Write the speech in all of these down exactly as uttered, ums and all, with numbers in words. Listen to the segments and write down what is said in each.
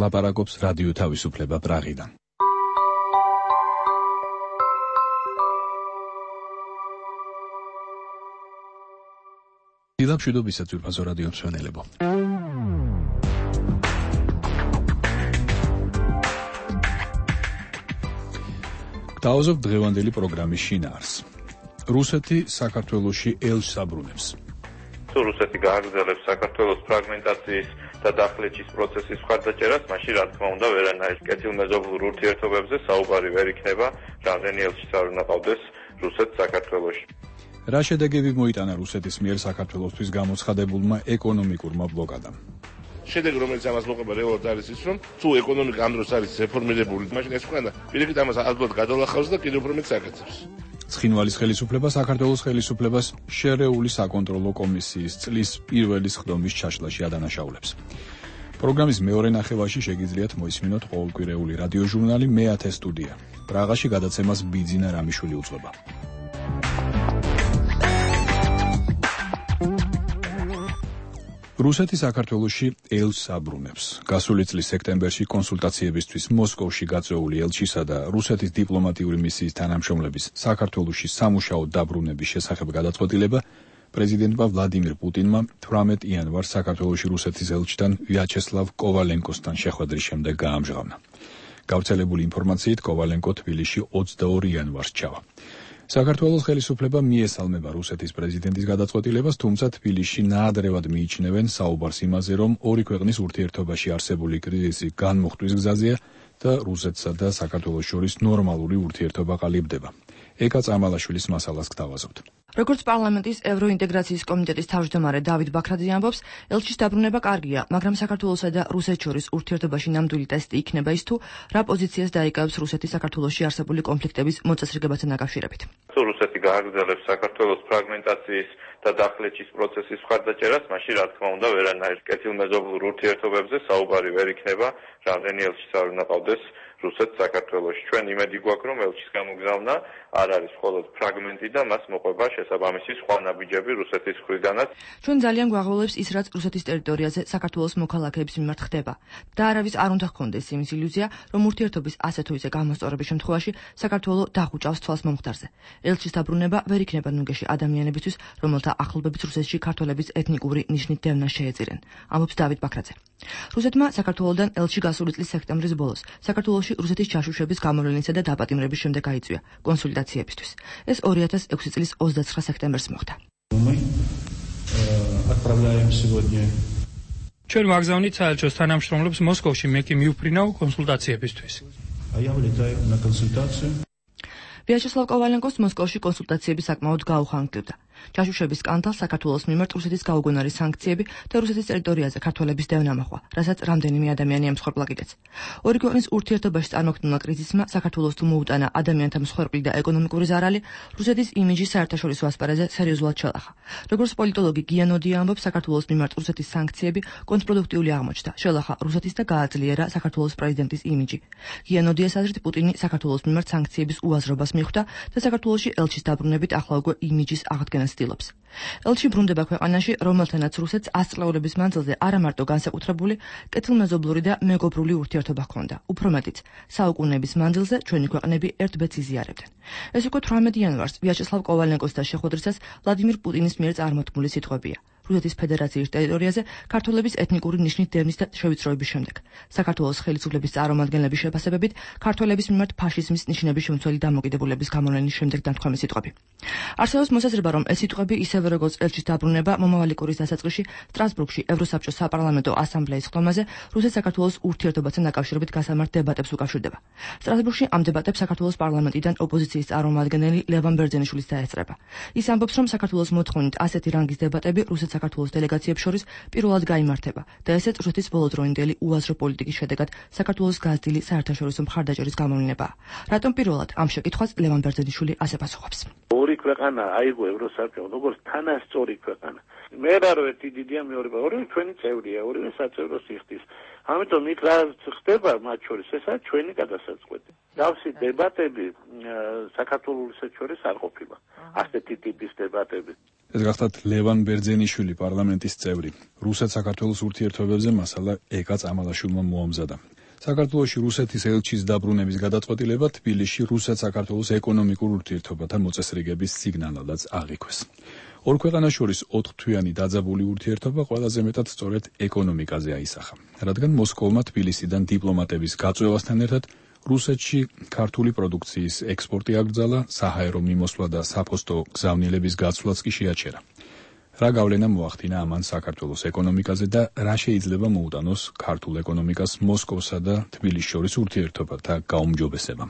ლაპარაკობს რადიო თავისუფლება პრაღიდან. დილამშვიდობისა ძვირფასო რადიო მსმენელებო. გთავაზობ დღევანდელი პროგრამის შინაარსს. რუსეთი საქართველოში ელჩს აბრუნებს. თუ რუსეთი გააგრძელებს საქართველოს ფრაგმენტაციის და დახლეჩის პროცესის მხარდაჭერას, მაშინ რა თქმა უნდა ვერანაირ კეთილმეზობლურ ურთიერთობებზე საუბარი ვერ იქნება, რამდენი ელჩიც არ უნდა ყავდეს რუსეთს საქართველოში. რა შედეგები მოიტანა რუსეთის მიერ საქართველოსთვის გამოცხადებულმა ეკონომიკურმა ბლოკადამ? შედეგი, რომელიც ამას მოყვება რეალურად არის ის, რომ თუ ეკონომიკა ამ დროს არის რეფორმირებული, მაშინ ეს ქვეყანა პირიქით ამას ადვილად გადალახავს და კიდევ უფრო მეტს აკეთებს. ცხინვალის ხელისუფლება საქართველოს ხელისუფლებას შერეული საკონტროლო კომისიის წლის პირველი სხდომის ჩაშლაში ადანაშაულებს. პროგრამის მეორე ნახევარში შეგიძლიათ მოისმინოთ ყოველკვირეული რადიოჟურნალი მეათე სტუდია. პრაღაში გადაცემას ბიძინა რამიშვილი უძღვება. რუსეთი საქართველოში ელჩს აბრუნებს. გასული წლის სექტემბერში კონსულტაციებისთვის მოსკოვში გაწეული ელჩისა და რუსეთის დიპლომატიური მისიის თანამშრომლების საქართველოში სამუშაოდ დაბრუნების შესახებ გადაწყვეტილება პრეზიდენტმა ვლადიმირ პუტინმა თვრამეტ იანვარს საქართველოში რუსეთის ელჩთან ვიაჩესლავ კოვალენკოსთან შეხვედრის შემდეგ გაამჟღავნა. გავრცელებული ინფორმაციით კოვალენკო თბილისში ოცდაორი იანვარს ჩავა. საქართველოს ხელისუფლება მიესალმება რუსეთის პრეზიდენტის გადაწყვეტილებას, თუმცა თბილისში ნაადრევად მიიჩნევენ საუბარს იმაზე, რომ ორი ქვეყნის ურთიერთობაში არსებული კრიზისი განმუხტვის გზაზეა და რუსეთსა და საქართველოს შორის ნორმალური ურთიერთობა ყალიბდება. ეკა წამალაშვილის მასალას გთავაზობთ. როგორც პარლამენტის ევროინტეგრაციის კომიტეტის თავმჯდომარე დავით ბაქრაძე ამბობს, ელჩის დაბრუნება კარგია, მაგრამ საქართველოსა და რუსეთს შორის ურთიერთობაში ნამდვილი ტესტი იქნება ის თუ რა პოზიციას დაიკავებს რუსეთი საქართველოში არსებული კონფლიქტების მოწესრიგებასთან დაკავშირებით. თუ რუსეთი გააგრძელებს საქართველოს ფრაგმენტაციის და დახლეჩის პროცესის მხარდაჭერას, მაშინ რა თქმა უნდა ვერანაირ კეთილმეზობლურ ურთიერთობებზე საუბარი ვერ იქნება, რამდენი ელჩიც არ უნდა ყავდეს რუსეთს საქართველოში. ჩვენ იმედი გვაქვს, რომ ელჩის გამოგზავნა არ არის მხოლოდ ფრაგმენტი და მას მოყვება შესაბამისი სხვა ნაბიჯები რუსეთის მხრიდანაც. ჩვენ ძალიან გვაღველებს ის, რაც რუსეთის ტერიტორიაზე საქართველოს მოქალაქეების მიმართ ხდება. და არავის არ უნდა ჰქონდეს იმის ილუზია, რომ ურთიერთობის ასე თუ ისე გამოსწორების შემთხვევაში საქართველოს დახუჭავს თვალს მომხდარზე. ელჩის დაბრუნება ვერ იქნება ნუგეში ადამიანებისთვის, რომელთა ახლობებით რუსეთში ქართველების ეთნიკური ნიშნით დევნა შეეწირენ. ამბობს დავით ბაქრაძე. რუსეთმა საქართველოსდან ელჩი გასული წლის სექტემბრის ბოლოს საქართველოში რუსეთის ჩაშუშების გამოვლენისა და დაპატიმრების შემდეგ გაიწვია კონსულტაციებისთვის. ეს ორი ათას ექვსი წლის ოცდაცხრა სექტემბერს მოხდა. ჩვენ ვაგზავნით საელჩოს თანამშრომლებს მოსკოვში, მე კი მივფრინავ კონსულტაციებისთვის. ვიაჩესლავ კოვალენკოს მოსკოვში კონსულტაციები საკმაოდ გაუხანგრდა. ჩაშუშების სკანდალს საქართველოს მიმართ რუსეთის გაუგონარი სანქციები და რუსეთის ტერიტორიაზე ქართველების დევნა მოჰყვა, რასაც რამდენიმე ადამიანი ემსხვერპლა კიდეც. ორი ქვეყნის ურთიერთობაში წარმოქმნილმა კრიზისმა საქართველოს თუ მოუტანა ადამიანთა მსხვერპლი და ეკონომიკური ზარალი, რუსეთის იმიჯი საერთაშორისო ასპარეზზე სერიოზულად შელახა. როგორც პოლიტოლოგი გიანოდია ამბობს, საქართველოს მიმართ რუსეთის სანქციები კონტრპროდუქტიული აღმოჩნდა, შელახა რუსეთის და გააძლიერა საქართველოს პრეზიდენტის იმიჯი. გიანოდიას აზრით, პუტინი საქართველოს მიმართ სანქციების უაზრობას მიხვდა და საქართველოში ელჩის დაბრუნებით ახლა უკვე იმიჯის აღდგენას ცდილობს. ელჩი ბრუნდება ქვეყანაში, რომელთანაც რუსეთს ას წლეულების მანძილზე არა მარტო განსაკუთრებული, კეთილმეზობლური და მეგობრული ურთიერთობა ჰქონდა, უფრო მეტიც, საუკუნეების მანძილზე ჩვენი ქვეყნები ერთ-ბეთს იზიარებდნენ. ეს უკვე თვრამეტ იანვარს ვიაჩესლავ კოვალენკოსთან შეხვედრისას ვლადიმირ პუტინის მიერ წარმოთქმული სიტყვებია. რუსეთის ფედერაციის ტერიტორიაზე ქართველების ეთნიკური ნიშნით დევნის და შევიწროების შემდეგ. საქართველოს ხელისუფლების წარმომადგენლების შეფასებებით, ქართველების მიმართ ფაშიზმის ნიშნების შემცველი დამოკიდებულების გამოვლენის შემდეგ დამთქვამი სიტყვები. არსებობს მოსაზრება, რომ ეს სიტყვები ისევე როგორც ელჩის დაბრუნება მომავალი კვირის დასაწყისში სტრასბურგში ევროსაბჭოს საპარლამენტო ასამბლეის ხდომაზე რუსეთ-საქართველოს ურთიერთობასთან დაკავშირებით გასამართ დებატებს უკავშირდება. სტრასბურგში ამ დებატებს საქართველოს პარლამენტიდან ოპოზიციის წარმომადგენელი ლევან ბერძენიშვილიც დაესწრება. ის ამბობს, რომ საქართველოს მოთხოვნით ასეთი რანგის დებატები რუსეთ საქართველოს დელეგაციებს შორის პირველად გაიმართება და ესეც რუსეთის ბოლოდროინდელი უაზრო პოლიტიკის შედეგად საქართველოს გაზრდილი საერთაშორისო მხარდაჭერის გამოვლენებაა. რატომ პირველად ამ შეკითხვას ლევან ბერძენიშვილი ასე პასუხობს. ორი ქვეყანა აიღო ევროსაბჭო, როგორც თანასწორი ქვეყანა. მე რა რო ერთი დიდია, მეორე ორივე ჩვენი წევრია, ორივე საწევრო სიხდის. ამიტომ იქ რა ხდება მათ შორის, ესაა ჩვენი გადასაწყვეტი. დავსი დებატები საქართველოს შორის არ ყოფილა. ასეთი ტიპის დებატები. ეს გახლავთ ლევან ბერძენიშვილი, პარლამენტის წევრი. რუსეთ-საქართველოს ურთიერთობებზე მასალა ეკა წამალაშვილმა მოამზადა. საქართველოში რუსეთის ელჩის დაბრუნების გადაწყვეტილება თბილისში რუსეთ-საქართველოს ეკონომიკურ ურთიერთობათა მოწესრიგების სიგნალადაც აღიქვეს. ორ ქვეყანას შორის ოთხთვიანი დაძაბული ურთიერთობა ყველაზე მეტად სწორედ ეკონომიკაზე აისახა, რადგან მოსკოვმა თბილისიდან დიპლომატების გაწვევასთან ერთად რუსეთში ქართული პროდუქციის ექსპორტი აკრძალა, საჰაერო მიმოსვლა და საფოსტო გზავნილების გაცვლაც კი შეაჩერა. რა გავლენა მოახდინა ამან საქართველოს ეკონომიკაზე და რა შეიძლება მოუტანოს ქართულ ეკონომიკას მოსკოვსა და თბილისს შორის ურთიერთობათა გაუმჯობესება.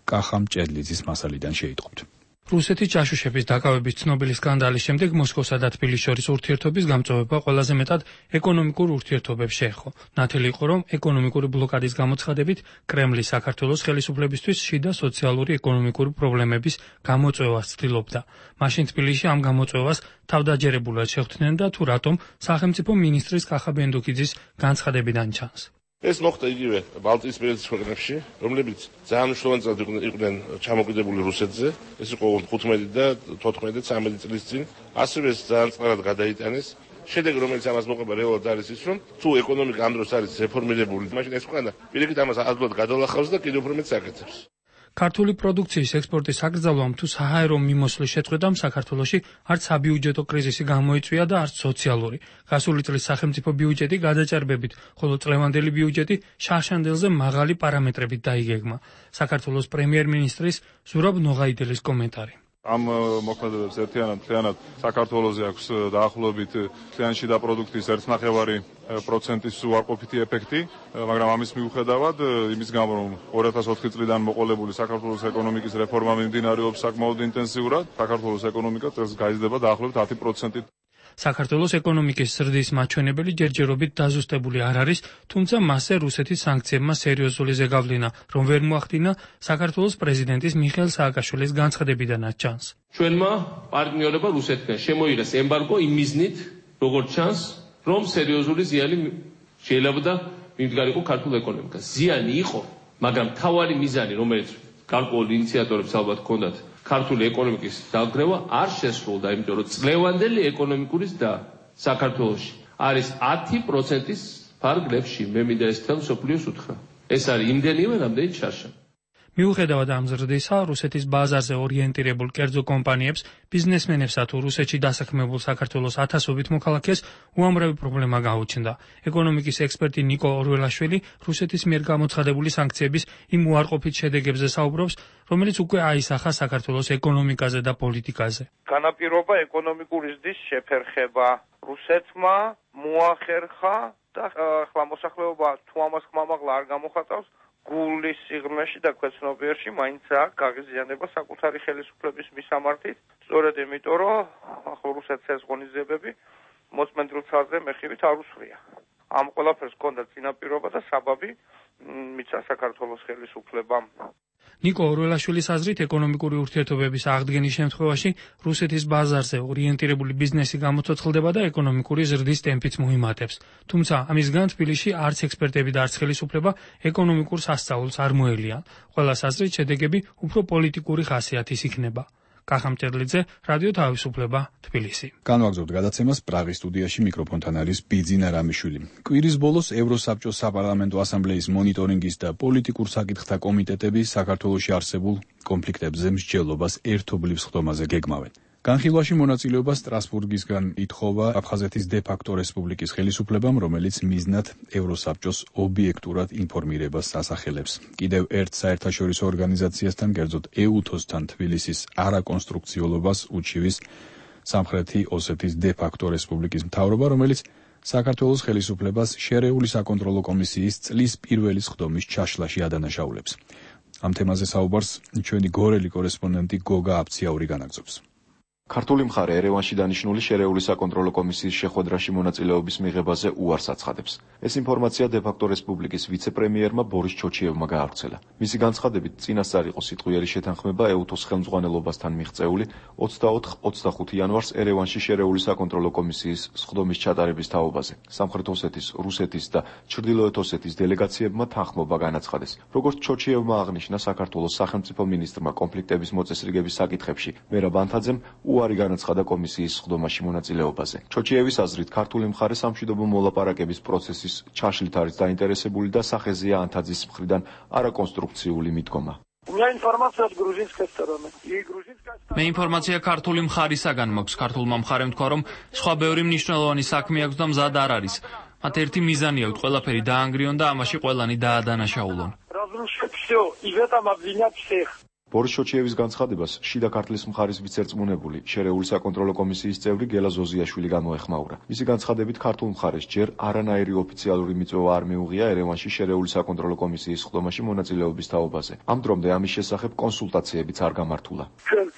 კახა მჭედლიძის მასალიდან შეიტყობთ. რუსეთის ჯაშუშების დაკავების ცნობილი სკანდალის შემდეგ მოსკოვსა და თბილისის შორის ურთიერთობის გამწვევა ყველაზე მეტად ეკონომიკურ ურთიერთობებს შეეხო. ნათელი იყო, რომ ეკონომიკური ბლოკადის გამოცხადებით კრემლი საქართველოს ხელისუფლებისთვის შიდა სოციალური ეკონომიკური პრობლემების გამოწვევას ცდილობდა. მაშინ თბილისში ამ გამოწვევას თავდაჯერებულად შეხვდნენ და თუ რატომ სახელმწიფო მინისტრის კახა ბენდუქიძის განცხადებიდან ჩანს. ეს მოხდა იგივე ბალტიისპირეთის ქვეყნებში, რომლებიც ძალიან მნიშვნელოვანად იყვნენ ჩამოკიდებული რუსეთზე. ეს იყო ხუთმეტი და თოთხმეტი და ცამეტი წლის წინ. ასევე ძალიან წყარად გადაიტანეს. შედეგი, რომელიც ამას მოყვება რეალურად არის ის, რომ თუ ეკონომიკა ამ დროს არის რეფორმირებული, მაშინ ეს ქვეყანა პირიქით ამას ადვილად გადალახავს და კიდევ უფრო მეტს აკეთებს. ქართული პროდუქციის ექსპორტის აკრძალვამ თუ საჰაერო მიმოსვლის შეწყვეტამ საქართველოში არც საბიუჯეტო კრიზისი გამოიწვია და არც სოციალური. გასული წლის სახელმწიფო ბიუჯეტი გადაჭარბებით, ხოლო წლევანდელი ბიუჯეტი შარშანდელზე მაღალი პარამეტრებით დაიგეგმა. საქართველოს პრემიერ-მინისტრის ზურაბ ნოღაიდელის კომენტარი. ამ მოქმედებებს ერთიანად მთლიანად საქართველოზე აქვს დაახლოებით მთლიანი შიდა პროდუქტის ერთი ნახევარი პროცენტის უარყოფითი ეფექტი, მაგრამ ამის მიუხედავად, იმის გამო რომ ორი ათას ოთხი წლიდან მოყოლებული საქართველოს ეკონომიკის რეფორმა მიმდინარეობს საკმაოდ ინტენსიურად, საქართველოს ეკონომიკა წელს გაიზრდება დაახლოებით ათი პროცენტით. საქართველოს ეკონომიკის ზრდის მაჩვენებელი ჯერჯერობით დაზუსტებული არ არის, თუმცა მასზე რუსეთის სანქციებმა სერიოზული ზეგავლენა, რომ ვერ მოახდინა საქართველოს პრეზიდენტის მიხეილ სააკაშვილის განცხადებიდანაც ჩანს. ჩვენმა პარტნიორებმა რუსეთთან შემოიღეს ემბარგო იმ მიზნით, როგორც ჩანს, რომ სერიოზული ზიანი შეიძლება მიმდგარიყო ქართულ ეკონომიკას. ზიანი იყო, მაგრამ თავარი მიზანი, რომელიც გარკვეულ ინიციატორებს ალბათ ჰქონდათ ქართული ეკონომიკის დაგრევა არ შესრულდა, იმიტომ რომ წლევანდელი ეკონომიკური ზრდა საქართველოში არის ათი პროცენტის ფარგლებში. მე მინდა ეს თელ მსოფლიოს უთხრა. ეს არის იმდენივე, რამდენიც შარშა. მიუხედავად ამ ზრდისა, რუსეთის ბაზარზე ორიენტირებულ კერძო კომპანიებს, ბიზნესმენებსა თუ რუსეთში დასაქმებულ საქართველოს ათასობით მოქალაქეს უამრავი პრობლემა გაუჩნდა. ეკონომიკის ექსპერტი ნიკო ორველაშვილი რუსეთის მიერ გამოცხადებული სანქციების იმ უარყოფით შედეგებზე საუბრობს, რომელიც უკვე აისახა საქართველოს ეკონომიკაზე და პოლიტიკაზე. განაპირობა ეკონომიკური ზრდის შეფერხება. რუსეთმა მოახერხა და ახლა მოსახლეობა თუ ამას ხმამაღლა არ გამოხატავს, გულის სიღრმეში და ქვეცნობიერში მაინც აქვს გაღიზიანება საკუთარი ხელისუფლების მისამართით. სწორედ იმიტომ, რომ ახლა რუსეთს ეს ღონისძიებები მოწმენდილ ცალზე მეხივით არ უსვრია. ამ ყველაფერს ჰქონდა წინაპირობა და საბაბი მიცა საქართველოს ხელისუფლებამ. ნიკო ორველაშვილის აზრით, ეკონომიკური ურთიერთობების აღდგენის შემთხვევაში რუსეთის ბაზარზე ორიენტირებული ბიზნესი გამოცოცხლდება და ეკონომიკური ზრდის ტემპიც მოიმატებს. თუმცა ამისგან თბილისში არც ექსპერტები და არც ხელისუფლება ეკონომიკურ სასწაულს არ მოელიან. ყველას აზრით, შედეგები უფრო პოლიტიკური ხასიათის იქნება. კახა მჭედლიძე, რადიო თავისუფლება, თბილისი. განვაგრძობთ გადაცემას პრაღის სტუდიაში, მიკროფონთან არის ბიძინა რამიშვილი. კვირის ბოლოს ევროსაბჭოს საპარლამენტო ასამბლეის მონიტორინგის და პოლიტიკურ საკითხთა კომიტეტები საქართველოში არსებულ კონფლიქტებზე მსჯელობას ერთობლივ სხდომაზე გეგმავენ. განხილვაში მონაწილეობა სტრასბურგისგან ითხოვა აფხაზეთის დე-ფაქტო რესპუბლიკის ხელისუფლებამ, რომელიც მიზნად ევროსაბჭოს ობიექტურად ინფორმირებას ასახელებს. კიდევ ერთ საერთაშორისო ორგანიზაციასთან, კერძოდ ეუთოს-თან თბილისის არაკონსტრუქციულობას უჩივის სამხრეთი ოსეთის დე-ფაქტო რესპუბლიკის მთავრობა, რომელიც საქართველოს ხელისუფლებას შერეული საკონტროლო კომისიის წლის პირველი სხდომის ჩაშლაში ადანაშაულებს. ამ თემაზე საუბარს ჩვენი გორელი კორესპონდენტი გოგა აფციაური განაგრძობს. ქართული მხარე ერევანში დანიშნული შერეული საკონტროლო კომისიის შეხვედრაში მონაწილეობის მიღებაზე უარს აცხადებს. ეს ინფორმაცია დე-ფაქტო რესპუბლიკის ვიცე-პრემიერმა ბორის ჩოჩიევმა გაავრცელა. მისი განცხადებით, წინასწარ იყო სიტყვიერი შეთანხმება ეუთოს ხელმძღვანელობასთან მიღწეული ოცდაოთხ ოცდახუთი იანვარს ერევანში შერეული საკონტროლო კომისიის სხდომის ჩატარების თაობაზე. სამხრეთ ოსეთის, რუსეთის და ჩრდილოეთ ოსეთის დელეგაციებმა თანხმობა განაცხადეს. როგორც ჩოჩიევმა აღნიშნა, საქართველოს სახელმწიფო მინისტრმა კონფლიქტების მოწესრიგების საკითხებში მერაბ ანთაძემ უარი განაცხადა კომისიის სხდომაში მონაწილეობაზე. ჩოჩიევის აზრით, ქართული მხარე სამშვიდობო მოლაპარაკების პროცესის ჩაშლით არის დაინტერესებული და სახეზეა ანთაძის მხრიდან არაკონსტრუქციული მიდგომა. მე ინფორმაცია ქართული მხარისაგან მაქვს. ქართულმა მხარემ თქვა, რომ სხვა ბევრი მნიშვნელოვანი საქმე აქვს და მზად არ არის. მათ ერთი მიზანი აქვთ, ყველაფერი დაანგრიონ და ამაში ყველანი დაადანაშაულონ. ბორის ჩოჩიევის განცხადებას შიდა ქართლის მხარის ვიცე-რწმუნებული, შერეული საკონტროლო კომისიის წევრი გელა ზოზიაშვილი გამოეხმაურა. მისი განცხადებით, ქართულ მხარეს ჯერ არანაირი ოფიციალური მიწვევა არ მიუღია ერევანში შერეული საკონტროლო კომისიის სხდომაში მონაწილეობის თაობაზე. ამ დრომდე ამის შესახებ კონსულტაციებიც არ გამართულა.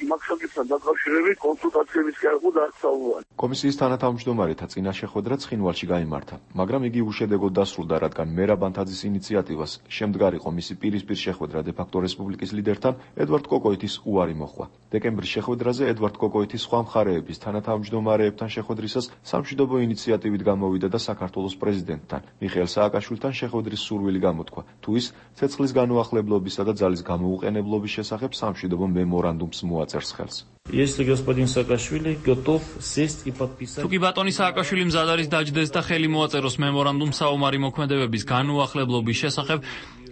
მაგ-საკითხთან დაკავშირებით კონსულტაციების კი არ ყო დასწავლანი. კომისიის თანათავმჯდომარეთა წინა შეხვედრა ცხინვალში გაიმართა, მაგრამ იგი უშედეგოდ დასრულდა, რადგან მერაბ ანთაძის ინიციატივას შემდგარიყო მისი პირისპირ შეხვედრა დე-ფაქტო რესპუბლიკის ლიდერთან ედვარდ კოკოიტის უარი მოჰყვა. დეკემბრის შეხვედრაზე ედვარდ კოკოიტის სხვა მხარეების თანათავმჯდომარეებთან შეხვედრისას სამშვიდობო ინიციატივით გამოვიდა და საქართველოს პრეზიდენტთან მიხეილ სააკაშვილთან შეხვედრის სურვილი გამოთქვა, თუ ის ცეცხლის განუახლებლობისა და ძალის გამოუყენებლობის შესახებ სამშვიდობო მემორანდუმს მოაწერს ხელს. თუ კი ბატონი სააკაშვილი მზად არის დაჯდეს და ხელი მოაწეროს მემორანდუმს საომარი მოქმედებების განუახლებლობის შესახებ,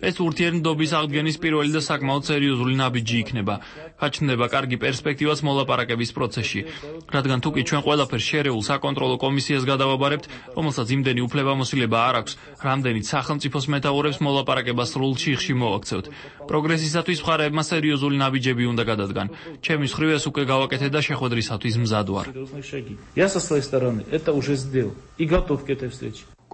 ეს ურთიერთობის აღდგენის პირველი და საკმაოდ სერიოზული ნაბიჯი იქნება. გაჩნდება კარგი პერსპექტივაც მოლაპარაკების პროცესში, რადგან თუ კი ჩვენ ყველაფერს შერეულ საკონტროლო კომისიას გადავაბარებთ, რომელსაც იმდენი უფლებამოსილება არ აქვს, რამდენიც სახელმწიფოს მეთაურებს მოლაპარაკებას სრულ ჩიხში მოვაქცევთ. პროგრესისათვის მხარეებმა სერიოზული ნაბიჯები უნდა გადადგან. ჩემი მხრივ ეს უკვე გავაკეთე და შეხვედრისათვის მზად ვარ.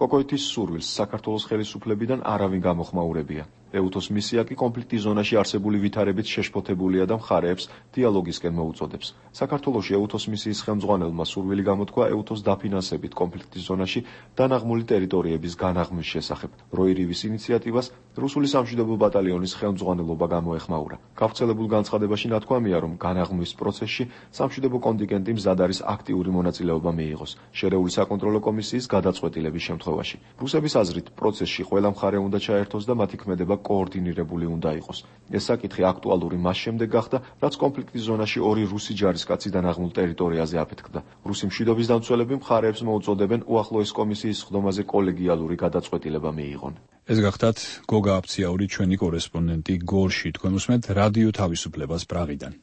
კოკოიტის სურვილს საქართველოს ხელისუფლებიდან არავინ გამოხმაურებია. ეუთოს მისია კი კონფლიქტის ზონაში არსებული ვითარებით შეშფოთებულია და მხარეებს დიალოგისკენ მოუწოდებს. საქართველოში ეუთოს მისიის ხელმძღვანელმა სურვილი გამოთქვა ეუთოს დაფინანსებით კონფლიქტის ზონაში დანაღმული ტერიტორიების განაღმვის შესახებ. როირივის ინიციატივას რუსული სამშვიდობო ბატალიონის ხელმძღვანელობა გამოეხმაურა. გავრცელებულ განცხადებაში ნათქვამია, რომ განაღმვის პროცესში სამშვიდობო კონტინგენტი მზად არის აქტიური მონაწილეობა მიიღოს შერეული საკონტროლო კომისიის გადაწყვეტილების შემთხვევაში. რუსების აზრით, პროცესში ყველა მხარე უნდა ჩაერთოს და მათი ქმედება კოორდინირებული უნდა იყოს. ეს საკითხი აქტუალური მას შემდეგ გახდა, რაც კონფლიქტის ზონაში ორი რუსი ჯარისკაცი დანაღმულ ტერიტორიაზე აფეთქდა. რუსი მშვიდობის დამცველები მხარეებს მოუწოდებენ უახლოეს კომისიის სხდომაზე კოლეგიალური გადაწყვეტილება მიიღონ. ეს გახდათ გოგა აფციაური, ჩვენი კორესპონდენტი გორში, თქვენ უსმენთ რადიო თავისუფლებას პრაღიდან.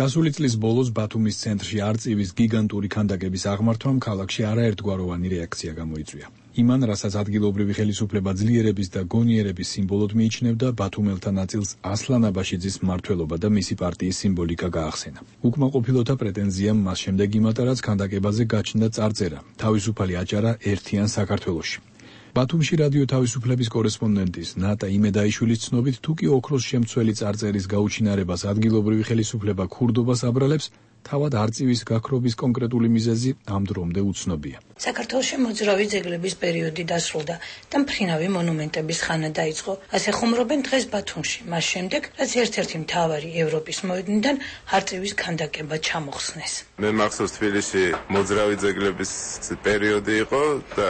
გასული წლის ბოლოს ბათუმის ცენტრში არწივის გიგანტური ქანდაკების აღმართვამ ქალაქში არაერთგვაროვანი რეაქცია გამოიწვია. იმან, რასაც ადგილობრივი ხელისუფლება ძლიერების და გონიერების სიმბოლოდ მიიჩნევდა, ბათუმელთა ნაწილს ასლან აბაშიძის მმართველობა და მისი პარტიის სიმბოლიკა გაახსენა. უკმაყოფილოთა პრეტენზიამ მას შემდეგ იმატა, რაც ქანდაკებაზე გაჩნდა წარწერა: თავისუფალი აჭარა ერთიან საქართველოში. ბათუმში რადიო თავისუფლების კორესპონდენტის ნატა იმედაიშვილის ცნობით, თუ კი ოქროს შემცველი წარწერის გაუჩინარებას ადგილობრივი ხელისუფლება ქურდობას აბრალებს, თავად არწივის გაქრობის კონკრეტული მიზეზი ამ დრომდე უცნობია. საქართველოში მოძრავი ძეგლების პერიოდი დასრულდა და მფრინავი მონუმენტების ხანა დაიწყო. ასე ხუმრობენ დღეს ბათუმში, მას შემდეგ, რაც ერთ-ერთი მთავარი ევროპის მოედნიდან არწივის ქანდაკება ჩამოხსნეს. მე მახსოვს თბილისში მოძრავი ძეგლების პერიოდი იყო და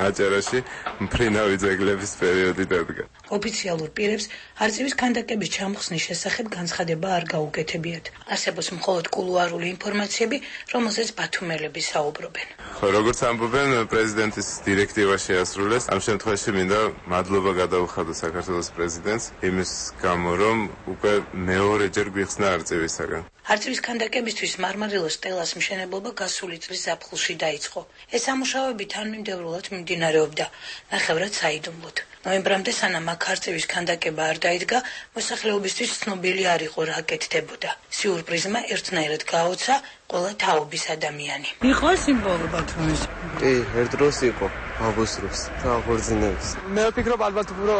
აჭარაში მფრინავი ძეგლების პერიოდი დადგა. ოფიციალურ პირებს არწივის ქანდაკების ჩამოხსნის შესახებ განცხადება არ გაუკეთებიათ. არსებობს მხოლოდ კულუარული ინფორმაციები, რომელზეც ბათუმელები საუბრობენ. ხო, როგორც ამბობენ, პრეზიდენტის დირექტივა შეასრულეს. ამ შემთხვევაში მინდა მადლობა გადაუხადო საქართველოს პრეზიდენტს იმის გამო, რომ უკვე მეორეჯერ გვიხსნა არწივისაგან. არწივის ქანდაკებისთვის მარმარილოს სტელას მშენებლობა გასული წლის ზაფხულში დაიწყო. ეს სამუშაოები თანმიმდევრულად მიმდინარეობდა, ნახევრად საიდუმლოდ. ნოემბრამდე სანამ აქ არწივის ქანდაკება არ დაიდგა, მოსახლეობისთვის ცნობილი არ იყო რა აკეთდებოდა. სიურპრიზმა ერთნაირად გააოცა ყველა თაობის ადამიანი. იყო სიმბოლო ბათუმის. კი, ერთ დროს იყო აღუსროს და აღორძინებს. მე ვფიქრობ, ალბათ უფრო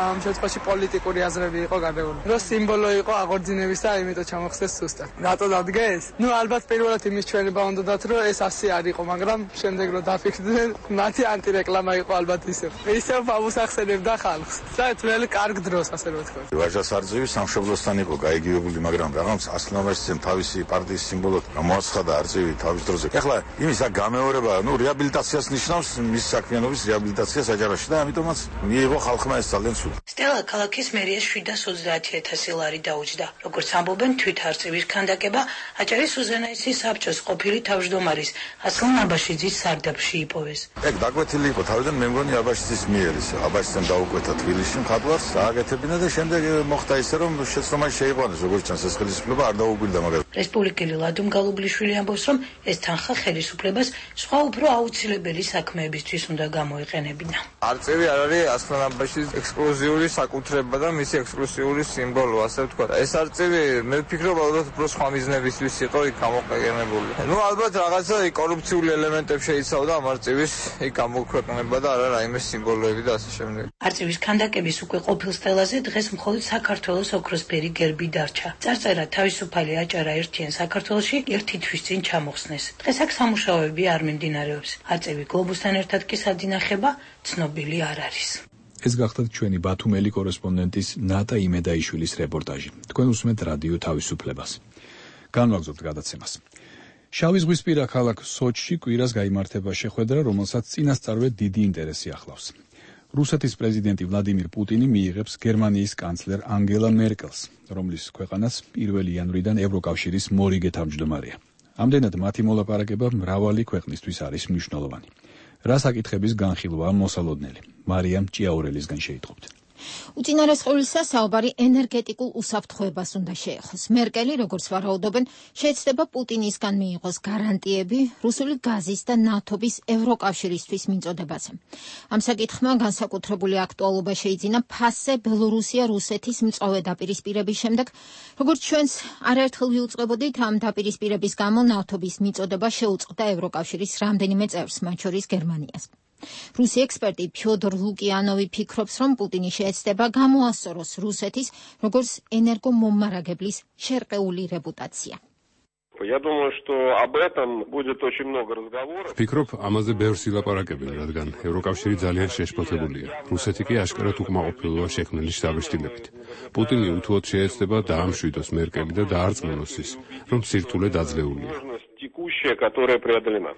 ამ შემთხვევაში პოლიტიკური აზრები იყო გადაული. რომ სიმბოლო იყო აღორძინების და იმიტომ ჩამოხსნეს სუსტად. რატო დადგეს? ნუ ალბათ პირველად იმის ჩვენება უნდათ, რომ ეს ასე არ იყო, მაგრამ შემდეგ რომ დაფიქრდნენ, მათი ანტირეკლამა იყო ალბათ ისევ. ისევ ამოსახსენებდა ხალხს. და თველი კარგ დროს, ასე რომ ვთქვა. ვაჟას არწივი სამშობლოსთან იყო გაიგივებული, მაგრამ რაღაც ასლამაშიცემ თავისი პარტიის სიმბოლოდ მოაცხადა არწივი თავის დროზე. ეხლა იმის აქ გამეორება, ნუ რეაბილიტაციას ნიშნავს მის საქმიანობის რეაბილიტაცია საჯარაში და ამიტომაც მიიღო ხალხმა ეს ძალიან სულ. სტელა ქალაქის მერიას შვიდას ოცდაათი ათასი ლარი დაუჯდა. როგორც ამბობენ, თვითარწივის ქანდაკება აჭარის უზენაესი საბჭოს ყოფილი თავმჯდომარის ასლან აბაშიძის სარდაფში იპოვეს. ეგ დაგვეთილი იყო თავიდან მე მგონი აბაშიძის მიერ ის აბაშიძემ დაუკვეთა თბილისში მხატვარს დააგეთებინა და შემდეგ მოხდა ისე რომ შეცდომაში შეიყვანეს როგორც ჩანს ეს ხელისუფლება არ დაუგვირდა მაგრამ რესპუბლიკელი ლადუმ გალუბლიშვილი ამბობს რომ ეს თანხა ხელისუფლებას სხვა უფრო აუცილებელი საქმეებისთვის უნდა გამოეყენებინა. არწივი არ არის ასლან აბაშიძის ექსკლუზიური საკუთრება და მისი ექსკლუზიური სიმბოლო, ასე ვთქვა. ეს არწივი მე ვფიქრობ ალბათ უფრო სხვა მიზნებისთვის იყო იქ გამოყენებული. ნუ ალბათ რაღაცა კორუფციული ელემენტები შეიცავდა ამ არწივის იქ გამოქვეყნება და არა რაიმე სიმბოლოები და ასე შემდეგ. არწივის ქანდაკების უკვე ყოფილ სტელაზე დღეს მხოლოდ საქართველოს ოქროსფერი გერბი დარჩა. წარწერა თავისუფალი აჭარა ერთიან საქართველოში ერთი თვის წინ ჩამოხსნეს. დღეს აქ სამუშაოები არ მიმდინარეობს. არწივი გლობუსთან ერთად კი სადინახება ცნობილი არ არის. ეს გახდათ ჩვენი ბათუმელი კორესპონდენტის ნატა იმედაიშვილის რეპორტაჟი. თქვენ უსმენთ რადიო თავისუფლებას. განვაგრძობთ გადაცემას. შავი ზღვისპირა ქალაქ სოჩში კვირას გაიმართება შეხვედრა, რომელსაც წინასწარვე დიდი ინტერესი ახლავს. რუსეთის პრეზიდენტი ვლადიმირ პუტინი მიიღებს გერმანიის კანცლერ ანგელა მერკელს, რომლის ქვეყანას პირველი იანვრიდან ევროკავშირის მორიგე თავმჯდომარეა. ამდენად მათი მოლაპარაკება მრავალი ქვეყნისთვის არის მნიშვნელოვანი. რა საკითხების განხილვაა მოსალოდნელი? მარიამ ჭიაურელისგან შეიტყობთ. უწინარეს ყოვლისა საუბარი ენერგეტიკულ უსაფრთხოებას უნდა შეეხოს. მერკელი, როგორც ვარაუდობენ, შეეცდება პუტინისგან მიიღოს გარანტიები რუსული გაზის და ნავთობის ევროკავშირისთვის მიწოდებაზე. ამ საკითხმა განსაკუთრებული აქტუალობა შეიძინა ფასზე ბელორუსია-რუსეთის მწვავე დაპირისპირების შემდეგ, როგორც ჩვენს არაერთხელ ვიუწყებოდით, ამ დაპირისპირების გამო ნავთობის მიწოდება შეუწყდა ევროკავშირის რამდენიმე წევრს, მათ შორის გერმანიას. რუსი ექსპერტი ფიოდორ ლუკიანოვი ფიქრობს, რომ პუტინი შეეცდება გამოასწოროს რუსეთის როგორც ენერგომომარაგებლის შერყეული რეპუტაცია. Я думаю, что об этом будет очень много разговоров. Ფიქრობ, ამაზე ბევრს ილაპარაკებენ, რადგან ევროკავშირი ძალიან შეშფოთებულია. რუსეთი კი აშკარად უკმაყოფილოა შექმნილი შთაბეჭდილებით. პუტინი უთუოდ შეეცდება დაამშვიდოს მერკელი და დაარწმუნოს ის, რომ სირთულე დაძლეულია. Текущая, которая преодолена.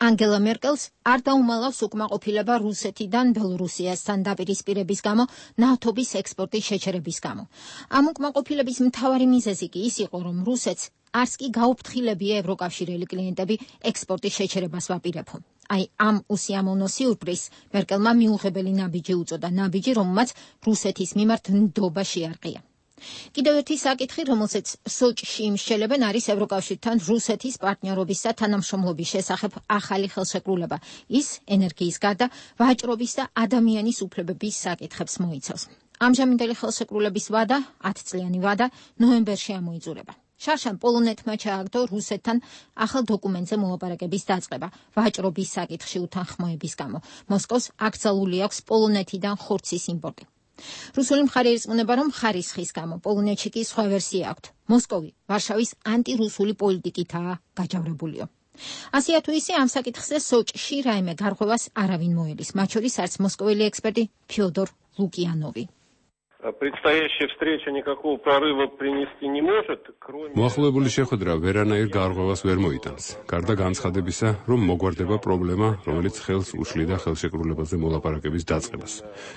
ანგელა მერკელს არ დაუმალავს უკმაყოფილება რუსეთიდან ბელორუსიასთან დაპირისპირების გამო ნავთობის ექსპორტის შეჩერების გამო. ამ უკმაყოფილების მთავარი მიზეზი კი ის იყო, რომ რუსეთს არც კი გაუფრთხილებია ევროკავშირელი კლიენტები ექსპორტის შეჩერებას ვაპირებო. აი ამ უსიამოვნო სიურპრიზს მერკელმა მიუღებელი ნაბიჯი უწოდა, ნაბიჯი, რომელმაც რუსეთის მიმართ ნდობა შეარყია. კიდევ ერთი საკითხი, რომელსაც სოჭში იმსჯელებენ, არის ევროკავშირთან რუსეთის პარტნიორობის და თანამშრომლობის შესახებ ახალი ხელშეკრულება. ის ენერგიის გარდა ვაჭრობის და ადამიანის უფლებების საკითხებს მოიცავს. ამჟამინდელი ხელშეკრულების ვადა, ათწლიანი ვადა, ნოემბერში ამოიძურება. შარშან პოლონეთმა ჩააგდო რუსეთთან ახალ დოკუმენტზე მოლაპარაკების დაწყება ვაჭრობის საკითხში უთანხმოების გამო. მოსკოვს აკრძალული აქვს პოლონეთიდან ხორცის იმპორტი. რუსული მხარე ირწმუნება, რომ ხარისხის გამო პოლონეთში კი სხვა ვერსია აქვთ. მოსკოვი ვარშავის ანტირუსული პოლიტიკითაა გაჯავრებულიო. ასია თუ ისე ამ საკითხზე სოჭში რაიმე გარღვევას არავინ მოელის, მათ შორის არც მოსკოველი ექსპერტი ფიოდორ ლუკიანოვი. Предстоящая встреча никакого прорыва принести не может, кроме მოახლოებული შეხვედრა ვერანაირ გარღვევას ვერ მოიტანს. გარდა განცხადებისა, რომ მოგვარდება პრობლემა, რომელიც ხელს უშლიდა ხელშეკრულებაზე მოლაპარაკების დაწყებას.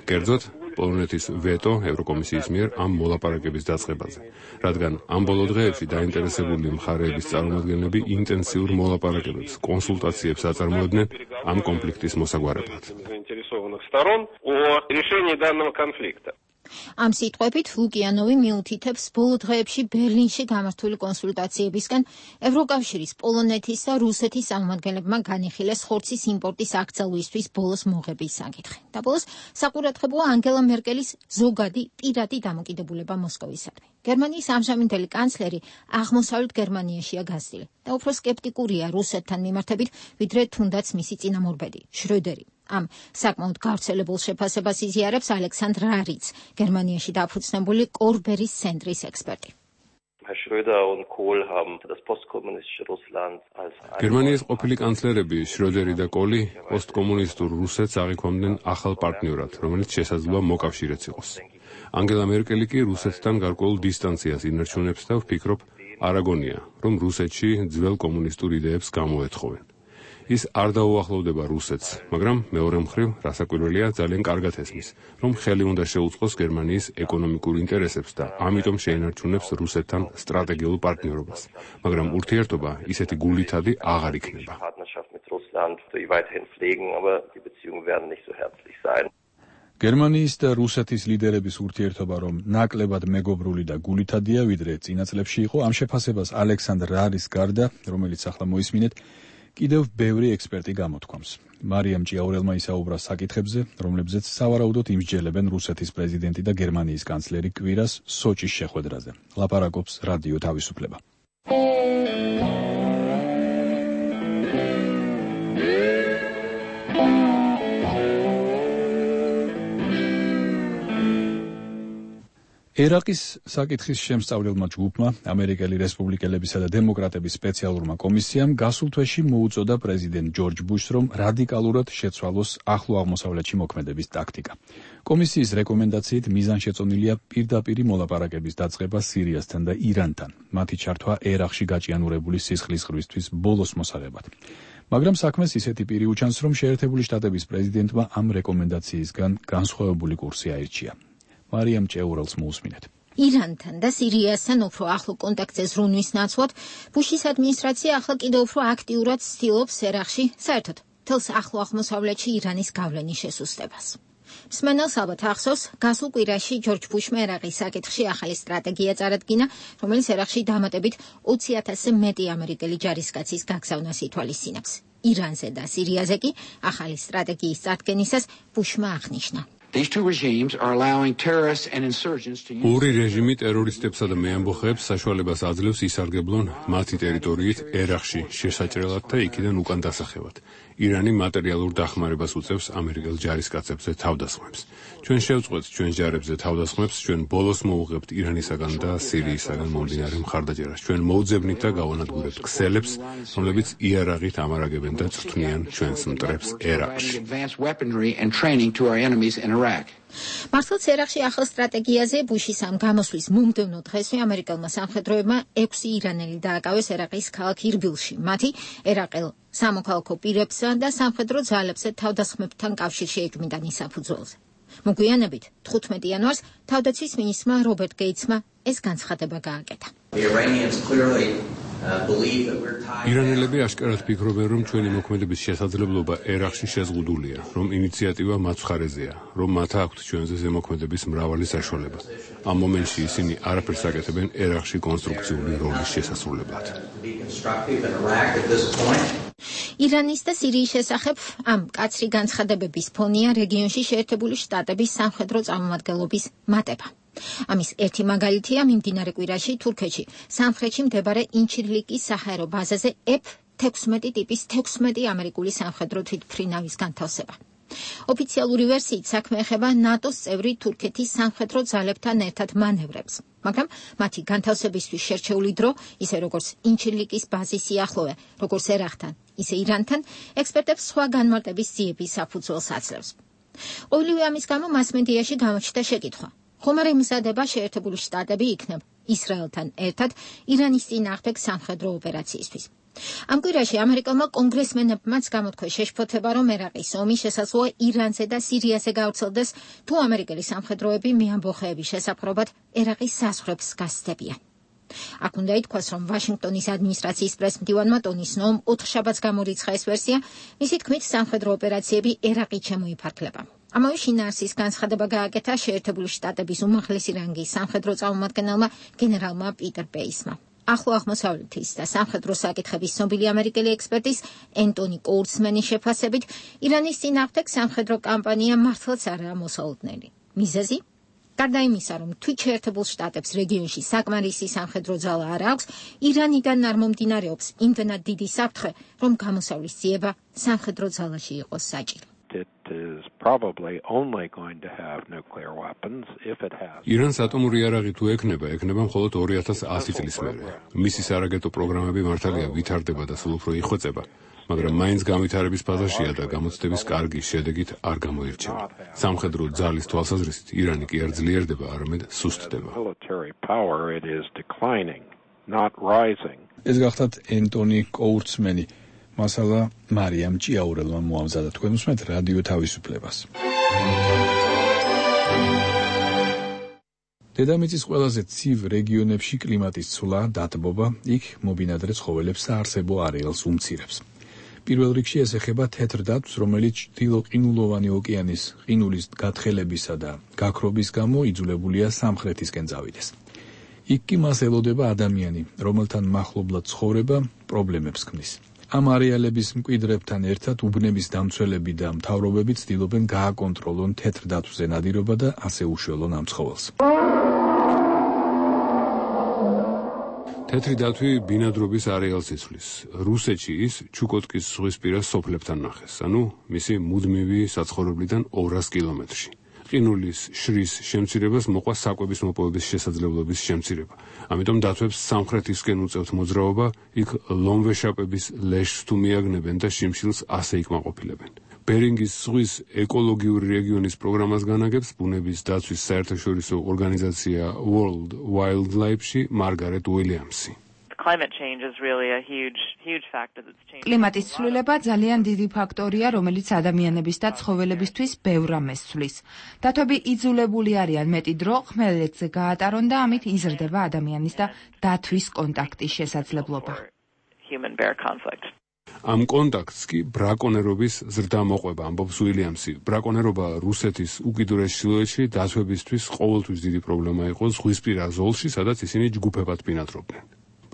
კერძოდ, პოლონეთის ვეტო ევროკომისიის მიერ ამ მოლაპარაკების დაწყებაზე, რადგან ამ ბოლო დღეებში დაინტერესებული მხარეების წარმომადგენლები ინტენსიურ მოლაპარაკებებს, კონსულტაციებს აწარმოებდნენ ამ კონფლიქტის მოსაგვარებლად. заинтересованных сторон о решении данного конфликта. ამ სიტყვებით ლუკიანოვი მიუთითებს ბოლო დღეებში ბერლინში გამართული კონსულტაციებისგან ევროკავშირის, პოლონეთის და რუსეთის წარმომადგენლებმა განიხილეს ხორცის იმპორტის აკრძალვისთვის ბოლოს მოღების საკითხი. და ბოლოს საყურადღებოა ანგელა მერკელის ზოგადი პირადი დამოკიდებულება მოსკოვისადმი. გერმანიის ამჟამინდელი კანცლერი აღმოსავლეთ გერმანიაშია გაზრდილი და უფრო სკეპტიკურია რუსეთთან მიმართებით, ვიდრე თუნდაც მისი წინამორბედი შროდერი. ამ საკმაოდ გავრცელებულ შეფასებას იზიარებს ალექსანდრ რარიც, გერმანიაში დაფუძნებული კორბერის ცენტრის ექსპერტი. გერმანიის ყოფილი კანცლერები შროდერი და კოლი პოსტკომუნისტურ რუსეთს აღიქვამდნენ ახალ პარტნიორად, რომელიც შესაძლოა მოკავშირეც იყოს. ანგელა მერკელი კი რუსეთთან გარკვეულ დისტანციას ინარჩუნებს და ვფიქრობ, არ აგონია, რომ რუსეთში ძველ კომუნისტურ იდეებს გამოეთხოვენ. ის არ დაუახლოვდება რუსეთს, მაგრამ მეორე მხრივ, რასაკვირველია, ძალიან კარგად ესმის, რომ ხელი უნდა შეუწყოს გერმანიის ეკონომიკურ ინტერესებს და ამიტომ შეინარჩუნებს რუსეთთან სტრატეგიულ პარტნიორობას. მაგრამ ურთიერთობა ისეთი გულითადი აღარ იქნება. გერმანიის და რუსეთის ლიდერების ურთიერთობა რომ ნაკლებად მეგობრული და გულითადია, ვიდრე წინა წლებში იყო, ამ შეფასებას ალექსანდრ რარის გარდა, რომელიც ახლა მოისმინეთ, კიდევ ბევრი ექსპერტი გამოთქვამს. მარიამ ჭიაურელმა ისაუბრა საკითხებზე, რომლებზეც სავარაუდოდ იმსჯელებენ რუსეთის პრეზიდენტი და გერმანიის კანცლერი კვირას სოჭის შეხვედრაზე. ლაპარაკობს რადიო თავისუფლება. ერაყის საკითხის შემსწავლელმა ჯგუფმა, ამერიკელი რესპუბლიკელებისა და დემოკრატების სპეციალურმა კომისიამ გასულ თვეში მოუწოდა პრეზიდენტ ჯორჯ ბუშს, რომ რადიკალურად შეცვალოს ახლო აღმოსავლეთში მოქმედების ტაქტიკა. კომისიის რეკომენდაციით მიზანშეწონილია პირდაპირი მოლაპარაკების დაწყება სირიასთან და ირანთან, მათი ჩართვა ერაყში გაჭიანურებული სისხლის ღრვისთვის ბოლოს მოსაღებად. მაგრამ საქმეს ისეთი პირი უჩანს, რომ შეერთებული შტატების პრეზიდენტმა ამ რეკომენდაციისგან განსხვავებული კურსი აირჩია. მარიამ ჭეურელს მოусმინეთ. ირანთან და სირიასთან უფრო ახლო კონტაქტზე ზრუნვის ნაცვლად, ბუშის ადმინისტრაცია ახლა კიდევ უფრო აქტიურად ცდილობს ერაყში, საერთოდ მთელს ახლო აღმოსავლეთში ირანის გავლენის შესუსტებას. მსმენელს ალბათ ახსოვს, გასულ კვირაში ჯორჯ ბუშმა ერაყის საკითხში ახალი სტრატეგია წარადგინა, რომელიც ერაყში დამატებით ოცი ათასზე მეტი ამერიკელი ჯარისკაცის გაგზავნას ითვალისწინებს. ირანზე და სირიაზე კი ახალი სტრატეგიის წარდგენისას ბუშმა აღნიშნა. These two regimes are allowing terrorists and insurgents to use ორი რეჟიმი ტერორისტებსა და მეამბოხეებს საშუალებას აძლევს ისარგებლონ მათი ტერიტორიით ერაყში შესაჭრელად და იქიდან უკან დასახევად. ირანი მატერიალურ დახმარებას უწევს ამერიკელ ჯარისკაცებზე თავდასხმებს. ჩვენ შევწყვეტ ჩვენ ჯარებზე თავდასხმებს, ჩვენ ბოლოს მოუღებთ ირანისაგან და სირიისაგან მომდინარე მხარდაჭერას. ჩვენ მოუძებნით და გავანადგურებთ ქსელებს, რომლებიც იარაღით ამარაგებენ და წვრთნიან ჩვენს მტრებს ერაყში. მართლაც ერაყში ახალ სტრატეგიაზე ბუშის ამ გამოსვლის მომდევნო დღესვე ამერიკელმა სამხედროებმა ექვსი ირანელი დააკავეს ერაყის ქალაქ ირბილში. მათი ერაყელ სამოქალაქო პირებსა და სამხედრო ძალებზე თავდასხმებთან კავშირში ეჭვმიტან საფუძველზე. მოგვიანებით თხუთმეტი იანვარს თავდაცვის მინისტრმა რობერტ გეიცმა ეს განცხადება გააკეთა. ირანელები აშკარად ფიქრობენ, რომ ჩვენი მოქმედების შესაძლებლობა ერაყში შეზღუდულია, რომ ინიციატივა მათ მხარეზეა, რომ მათ აქვთ ჩვენზე ზემოქმედების მრავალი საშუალება. ამ მომენტში ისინი არაფერს აკეთებენ ერაყში კონსტრუქციული როლის შესასრულებლად. ირანის და სირიის შესახებ ამ კაცრი განცხადებების ფონია რეგიონში შეერთებული შტატების სამხედრო წარმომადგენლობის მატება. ამის ერთი მაგალითია მიმდინარე კვირაში თურქეთში, სამხრეთში მდებარე ინჩირლიკის საჰაერო ბაზაზე ეფ თექვსმეტი ტიპის თექვსმეტი ამერიკული სამხედრო თვითმფრინავის განთავსება. ოფიციალური ვერსიით საქმე ეხება ნატოს წევრი თურქეთის სამხედრო ძალებთან ერთად მანევრებს, მაგრამ მათი განთავსებისთვის შერჩეული დრო, ისე როგორც ინჩირლიკის ბაზის სიახლოვე, როგორც ერაყთან, ისე ირანთან, ექსპერტებს სხვა განმარტების ძიების საფუძველს აძლევს. ყოველივე ამის გამო მასმედიაში გამოჩნდა შეკითხვა. ხომ არ ემზადება შეერთებული შტატები იქნებ ისრაელთან ერთად ირანის წინააღმდეგ სამხედრო ოპერაციისთვის. ამ კვირაში ამერიკელმა კონგრესმენებმაც გამოთქვეს შეშფოთება, რომ ერაყის ომი შესაძლოა ირანზე და სირიაზე გავრცელდეს, თუ ამერიკელი სამხედროები მეამბოხეების შესაფრობად ერაყის საზღვრებს გასცდებიან. აქ უნდა ითქვას, რომ ვაშინგტონის ადმინისტრაციის პრესმდივანმა ტონი სნოუმ ოთხშაბათს გამორიცხა ეს ვერსია, მისი თქმით სამხედრო ოპერაციები ერაყით შემოიფარგლება. ამავე შინაარსის განცხადება გააკეთა შეერთებული შტატების უმაღლესი რანგის სამხედრო წარმომადგენელმა გენერალმა პიტერ პეისმა. ახლო აღმოსავლეთის და სამხედრო საკითხების ცნობილი ამერიკელი ექსპერტის ენტონი კოურცმენის შეფასებით, ირანის წინააღმდეგ სამხედრო კამპანია მართლაც არაა მოსალოდნელი. მიზეზი? გარდა იმისა, რომ თვით შეერთებულ შტატებს რეგიონში საკმარისი სამხედრო ძალა არ აქვს, ირანიდან არ მომდინარეობს იმდენად დიდი საფრთხე, რომ გამოსავლის ძიება სამხედრო ძალაში იყოს საჭირო. ირანს ატომური იარაღი თუ ექნება, ექნება მხოლოდ ორი ათას ასი წლის მერე. მისი სარაკეტო პროგრამები მართალია ვითარდება და სულ უფრო იხვეწება, მაგრამ მაინც განვითარების ფაზაშია და გამოცდების კარგი შედეგით არ გამოირჩევა. სამხედრო ძალის თვალსაზრისით ირანი კი არ ძლიერდება, არამედ სუსტდება. ეს გახლავთ ენტონი კოურცმენი. მასალა მარიამ ჭიაურელმა მოამზადა. თქვენ უსმენთ რადიო თავისუფლებას. დედამიწის ყველაზე ცივ რეგიონებში კლიმატის ცვლა, დათბობა, იქ მობინადრე ცხოველებს საარსებო არეალს უმცირებს. პირველ რიგში ეს ეხება თეთრ დათვს, რომელიც ჩრდილო-ყინულოვანი ოკეანის ყინულის გათხელებისა და გაქრობის გამო იძულებულია სამხრეთისკენ წავიდეს. იქ კი მას ელოდება ადამიანი, რომელთან მახლობლად ცხოვრება პრობლემებს ქმნის. ამ არეალების მკვიდრებთან ერთად უბნების დამცველები და მთავრობები ცდილობენ გააკონტროლონ თეთრ დათვზე ნადირობა და ასე უშველონ ამ ცხოველს. თეთრი დათვი ბინადრობის არეალს იცვლის. რუსეთში ის ჩუკოტკის ზღვისპირა სოფლებთან ნახეს, ანუ მისი მუდმივი საცხოვრებლიდან ორას კილომეტრში. ყინულის შრის შემცირებას მოყვა საკვების მოპოვების შესაძლებლობის შემცირება. ამიტომ დათვებს სამხრეთისკენ უწევთ მოძრაობა, იქ ლომვეშაპების ლეშს თუ მიაგნებენ და შიმშილს ასე იკმაყოფილებენ. ბერინგის ზღვის ეკოლოგიური რეგიონის პროგრამას განაგებს ბუნების დაცვის საერთაშორისო ორგანიზაცია World Wildlife-ში მარგარეტ უილიამსი. კლიმატის ცვლილება ძალიან დიდი ფაქტორია, რომელიც ადამიანების და ცხოველებისთვის ბევრ ამას ცვლის. დათვები იძულებული არიან მეტი დრო ხმელეთზე გაატარონ და ამით იზრდება ადამიანის და დათვის კონტაქტის შესაძლებლობა. ამ კონტაქტს კი ბრაკონერობის ზრდა მოყვება, ამბობს უილიამსი. ბრაკონერობა რუსეთის უკიდურეს ჩრდილოეთში დათვებისთვის ყოველთვის დიდი პრობლემა იყო ზღვისპირა ზოლში, სადაც ისინი ჯგუფებად ბინადრობდნენ.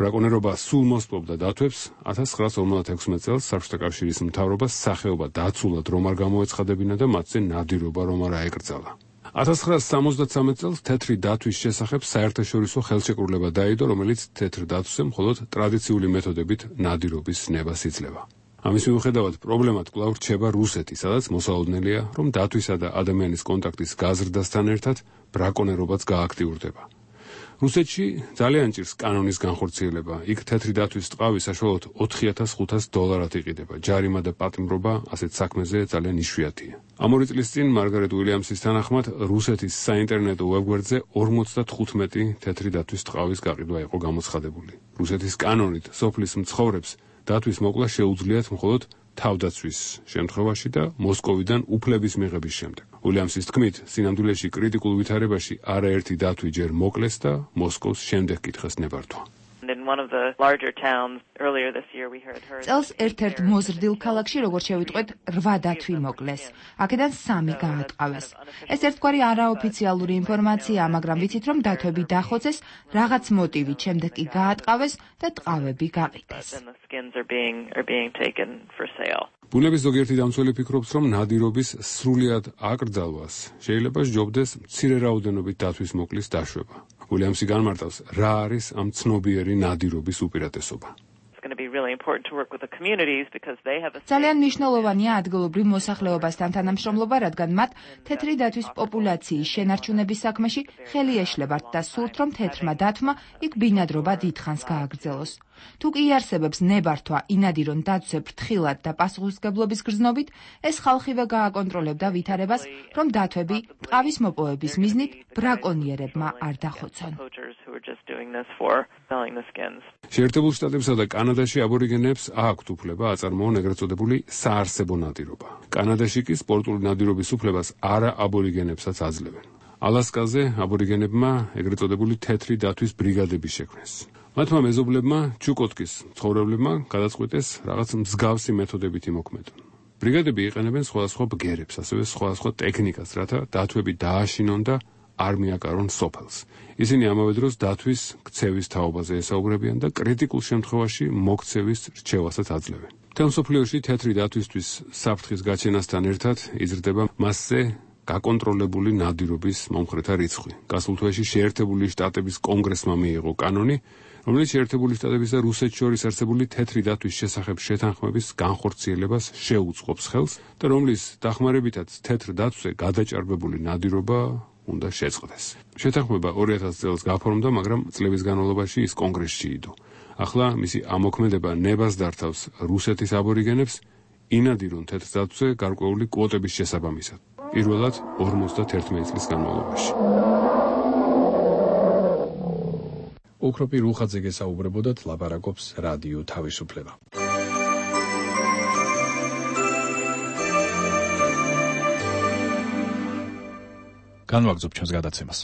ბრაკონერობა სულ მოსპობდა დათვებს. ათას ცხრაას ორმოცდაექვსმეტ წელს საბჭოთა კავშირის მთავრობას სახეობა დაცულად რომ არ გამოეცხადებინა და მათზე ნადირობა რომ არ აეკრძალა. ათას ცხრაას სამოცდათსამეტ წელს თეთრი დათვის შესახებ საერთაშორისო ხელშეკრულება დაიდო, რომელიც თეთრ დათვზე მხოლოდ ტრადიციული მეთოდებით ნადირობის ნებას იძლევა. ამის მიუხედავად პრობლემად კვლავ რჩება რუსეთი, სადაც მოსალოდნელია, რომ დათვისა და ადამიანის კონტაქტის გაზრდასთან ერთად ბრაკონერობაც გააქტიურდება. რუსეთში ძალიან ჭირს კანონის განხორციელება. იქ თეთრი დათვის ტყავი საშუალოდ ოთხი ათას ხუთას დოლარად იყიდება. ჯარიმა და პატიმრობა ასეთ საქმეზე ძალიან იშვიათია. ამ ორი წლის წინ მარგარეტ უილიამსის თანახმად რუსეთის საინტერნეტო ვებგვერდზე ორმოცდათხუთმეტი თეთრი დათვის ტყავის გაყიდვა იყო გამოცხადებული. რუსეთის კანონით სოფლის მცხოვრებს დათვის მოკლა შეუძლიათ მხოლოდ თავდაცვის შემთხვევაში და მოსკოვიდან უფლების მიღების შემდეგ. უილიამსის თქმით, სინამდვილეში კრიტიკულ ვითარებაში არაერთი დათვი ჯერ მოკლეს და მოსკოვს შემდეგ კითხეს ნებართვა. წელს ერთ-ერთ მოზრდილ ქალაქში, როგორც შევიტყვეთ, რვა დათვი მოკლეს. აქედან სამი გაატყავეს. ეს ერთგვარი არაოფიციალური ინფორმაციაა, მაგრამ ვიცით, რომ დათვები დახოცეს, რაღაც მოტივით, შემდეგ კი გაატყავეს და ტყავები გაყიდეს. ბუნების ზოგიერთი დამცველი ფიქრობს, რომ ნადირობის სრულად აკრძალვას შეიძლება სჯობდეს მცირე რაოდენობით დათვის მოკლის დაშვება. უილიამსი განმარტავს, რა არის ამ ცნობიერი ნადირობის უპირატესობა. ძალიან მნიშვნელოვანია ადგილობრივ მოსახლეობასთან თანამშრომლობა, რადგან მათ თეთრი დათვის პოპულაციის შენარჩუნების საქმეში ხელი ეშლებათ და სურთ, რომ თეთრმა დათვმა იქ ბინადრობა დიდხანს გააგრძელოს. თუ კი იარსებებს ნებართვა ინადირონ დათვზე ფრთხილად და პასუხისმგებლობის გრძნობით, ეს ხალხივე გააკონტროლებდა ვითარებას, რომ დათვები ტყავის მოპოვების მიზნით ბრაკონიერებმა არ დახოცონ. შეერთებულ შტატებსა და კანადაში აბორიგენებს აქვთ უფლება აწარმოონ ეგრეთ წოდებული საარსებო ნადირობა. კანადაში კი სპორტული ნადირობის უფლებას არა აბორიგენებსაც აძლევენ. ალასკაზე აბორიგენებმა ეგრეთ წოდებული თეთრი დათვის ბრიგადები შექმნეს. მათმა მეზობლებმა ჩუკოტკის მცხოვრებლებმა გადაწყვიტეს რაღაც მსგავსი მეთოდებით იმოქმედონ. ბრიგადები იყენებენ სხვადასხვა ბგერებს, ასევე სხვადასხვა ტექნიკას, რათა დათვები დააშინონ და არ მიაკარონ სოფელს. ისინი ამავე დროს დათვის ქცევის თაობაზე ესაუბრებიან და კრიტიკულ შემთხვევაში მოქცევის რჩევასაც აძლევენ. მთელ მსოფლიოში თეთრი დათვისთვის საფრთხის გაჩენასთან ერთად იზრდება მასზე გაკონტროლებული ნადირობის მომხრეთა რიცხვი. გასულ თვეში შეერთებული შტატების კონგრესმა მიიღო კანონი, რომელიც შეერთებული შტატების და რუსეთს შორის არსებული თეთრი დათვის შესახებ შეთანხმების განხორციელებას შეუწყობს ხელს და რომლის დახმარებითაც თეთრ დათვზე გადაჭარბებული ნადირობა უნდა შეწყდეს. შეთანხმება ორი ათას წელს გაფორმდა, მაგრამ წლების განმავლობაში ის კონგრესში იდო. ახლა მისი ამოქმედება ნებას დართავს რუსეთის აბორიგენებს ინადირონ თეთრ დათვზე გარკვეული კვოტების შესაბამისად. პირველად ორმოცდაერთმეტი წლის განმავლობაში. ოქროპი რუხაძე გესაუბრებოდათ, ლაპარაკობს რადიო თავისუფლება. განვაგრძობ ჩვენს გადაცემას.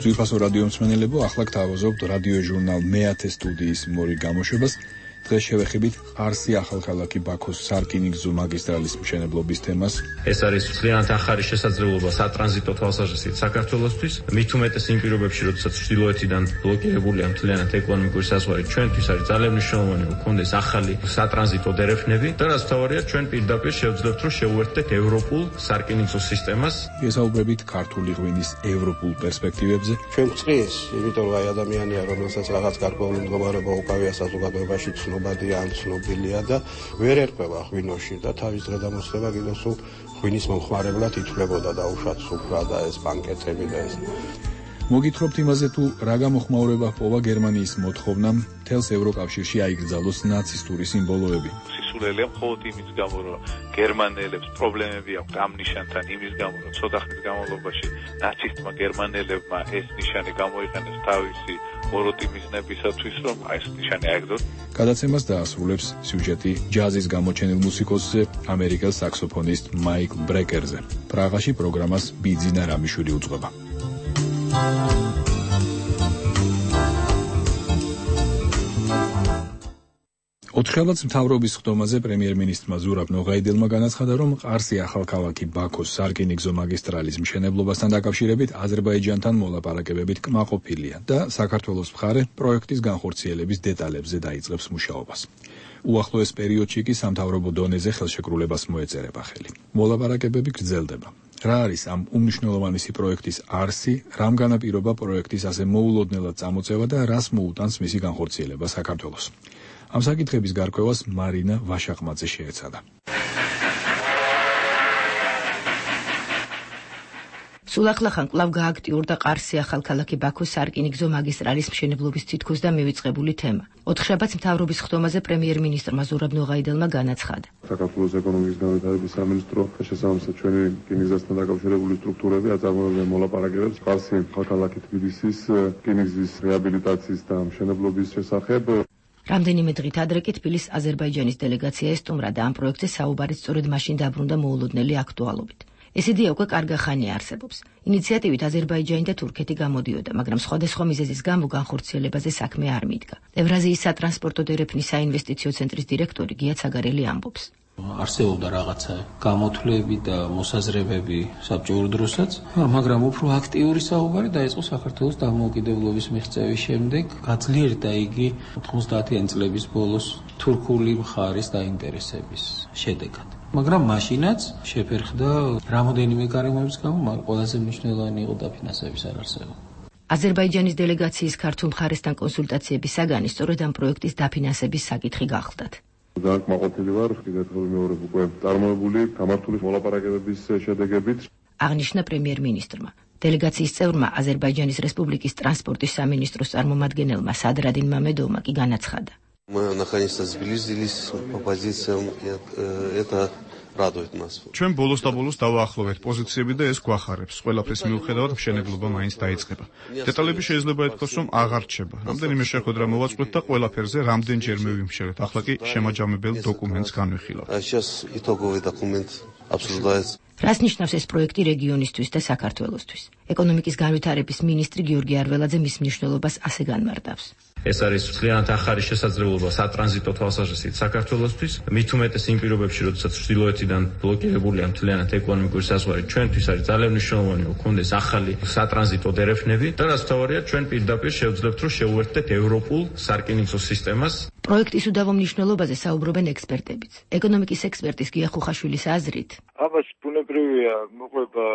ძვირფასო რადიო მსმენელებო, ახლა გთავაზობთ რადიო ჟურნალ მეათე სტუდიის მორიგ გამოშვებას. დღეს შევეხებით ყარსი ახალქალაქი ბაქოს სარკინიგზო მაგისტრალის მშენებლობის თემას. ეს არის ძალიან ახალი შესაძლებლობა სატრანზიტო თვალსაზრისით საქართველოსთვის, მით უმეტეს იმ პირობებში, როდესაც ჩრდილოეთიდან ბლოკირებულია მთლიანად ეკონომიკური საზღვარი, ჩვენთვის არის ძალიან მნიშვნელოვანი, რომ გქონდეს ახალი სატრანზიტო დერეფნები და რაც მთავარია, ჩვენ პირდაპირ შევძლებთ, რომ შევუერთდეთ ევროპულ სარკინიგზო სისტემას. ესაუბრებით ქართული ღვინის ევროპულ პერსპექტივებზე. ჩვენ გწრის, იმიტომ რომ აი ადამიანია, რომელსაც რაღაც გარკვეული მდგომარეობა უკავია საზოგადოებაში ცნობადია ან ცნობილია და ვერ ერკვევა ღვინოში და თავის დღედამოსილება კიდევ სულ ღვინის მომხმარებლად ითვლებოდა და უშად სუფრა და ეს ბანკეტები და ეს. მოგითხრობთ იმაზე, თუ რა გამოხმაურება ჰპოვა გერმანიის მოთხოვნამ მთელს ევროკავშირში აიგრძალოს ნაცისტური სიმბოლოები. სულელია მხოლოდ იმის გამო, რომ გერმანელებს პრობლემები აქვთ ამ ნიშანთან, იმის გამო, რომ ცოტა ხნის განმავლობაში ნაცისტმა გერმანელებმა ეს ნიშანი გამოიყენეს თავისი მოროდი მიზნებისათვის, რომ აი ეს ნიშანი აიგდოს. გადაცემას დაასრულებს სიუჟეტი ჯაზის გამოჩენილ მუსიკოსზე, ამერიკელ საქსოფონისტ მაიკლ ბრეკერზე. პრაღაში პროგრამას ბიძინა რამიშვილი უძღვება. ოთხშაბათს მთავრობის ხდომაზე პრემიერ-მინისტრმა ზურაბ ნოღაიდელმა განაცხადა, რომ ყარსი ახალქალაქი ბაქოს სარკინიგზო მაგისტრალის მშენებლობასთან დაკავშირებით აზერბაიჯანთან მოლაპარაკებებით კმაყოფილია და საქართველოს მხარე პროექტის განხორციელების დეტალებზე დაიწყებს მუშაობას. უახლოეს პერიოდში კი სამთავრობო დონეზე ხელშეკრულებას მოეწერება ხელი. მოლაპარაკებები გრძელდება. რა არის ამ უმნიშვნელოვანესი პროექტის არსი, რამ განაპირობა პროექტის ასე მოულოდნელად წამოწევა და რას მოუტანს მისი განხორციელება საქართველოს. ამ საკითხების გარკვევას მარინა ვაშაყმაძე შეეცადა. სულ ახლახან კვლავ გააქტიურდა ყარსი ახალქალაქი ბაქოს სარკინიგზო მაგისტრალის მშენებლობის თითქოს და მივიწყებული თემა. ოთხშაბათს მთავრობის ხდომაზე პრემიერ-მინისტრმა ზურაბ ნოღაიდელმა განაცხადა. საქართველოს ეკონომიკის განვითარების სამინისტრო შესაბამისად ჩვენი რკინიგზასთან დაკავშირებული სტრუქტურები აწარმოებენ მოლაპარაკებებს ყარსი ახალქალაქი თბილისის რკინიგზის რეაბილიტაციის და მშენებლობის შესახებ. რამდენიმე დღით ადრე კი თბილისის აზერბაიჯანის დელეგაცია ესტუმრა და ამ პროექტზე საუბარიც სწორედ მაშინ დაბრუნდა მოულოდნელი აქტუალობით. ეს იდეა უკვე კარგა ხანია არსებობს. ინიციატივით აზერბაიჯანი და თურქეთი გამოდიოდა, მაგრამ სხვადასხვა მიზეზის გამო განხორციელებაზე საქმე არ მიდგა. ევრაზიის სატრანსპორტო დერეფნის საინვესტიციო ცენტრის დირექტორი გია ცაგარელი ამბობს. არსებობდა რაღაცა გამოთვლები და მოსაზრებები საბჭოურ დროსაც, მაგრამ უფრო აქტიური საუბარი დაიწყო საქართველოს დამოუკიდებლობის მიღწევის შემდეგ, გაძლიერდა იგი ოთხმოცდაათიანი წლების ბოლოს თურქული მხარის დაინტერესების შედეგად. მაგრამ მაშინაც შეფერხდა რამოდენიმე გარემოების გამო, მაგრამ ყველაზე მნიშვნელოვანი იყო დაფინანსების არარსება. აზერბაიჯანის დელეგაციის ქართულ მხარესთან კონსულტაციების საგანი სწორედ ამ პროექტის დაფინანსების საკითხი გახლდათ. განკმაყოფილი ვარ, კიდევ მეორე უკვე წარმოებული გამართული მოლაპარაკებების შედეგებით. აღნიშნა პრემიერ-მინისტრმა. დელეგაციის წევრმა აზერბაიჯანის რესპუბლიკის ტრანსპორტის სამინისტროს წარმომადგენელმა სადრადინ მამედოვმა კი განაცხადა. Мы наконец-то сблизились по позициям, это радует нас. ჩვენ ბოლოს და ბოლოს დავაახლოვეთ პოზიციები და ეს გვახარებს. ყველაფრის მიუხედავად მშენებლობა მაინც დაიწყება. დეტალები შეიძლება ითქვას, რომ აღარ რჩება. რამდენიმე შეხვედრა მოვაწყვეთ და ყველაფერზე რამდენჯერ მივიმშერეთ. ახლა კი შემაჯამებელ დოკუმენტს განვიხილავთ. Сейчас итоговый документ обсуждается. რას ნიშნავს ეს პროექტი რეგიონისთვის და საქართველოსთვის? ეკონომიკის განვითარების მინისტრი გიორგი არველაძე მის მნიშვნელობას ასე განმარტავს. ეს არის ძალიან ახალი შესაძლებლობა სატრანზიტო თვალსაზრისით საქართველოსთვის, მით უმეტეს იმ პირობებში, როდესაც ჩრდილოეთიდან ბლოკირებულია მთლიანად ეკონომიკური საზღვარი, ჩვენთვის არის ძალიან მნიშვნელოვანი, რომ გქონდეს ახალი სატრანზიტო დერეფნები და რაც მთავარია, ჩვენ პირდაპირ შევძლებთ, რომ შევუერთდეთ ევროპულ სარკინიგზო სისტემას. პროექტის უდავო მნიშვნელობაზე საუბრობენ ექსპერტებიც. ეკონომიკის ექსპერტის გია ხუხაშვილის აზრით, ამას ბუნებრივია მოყვება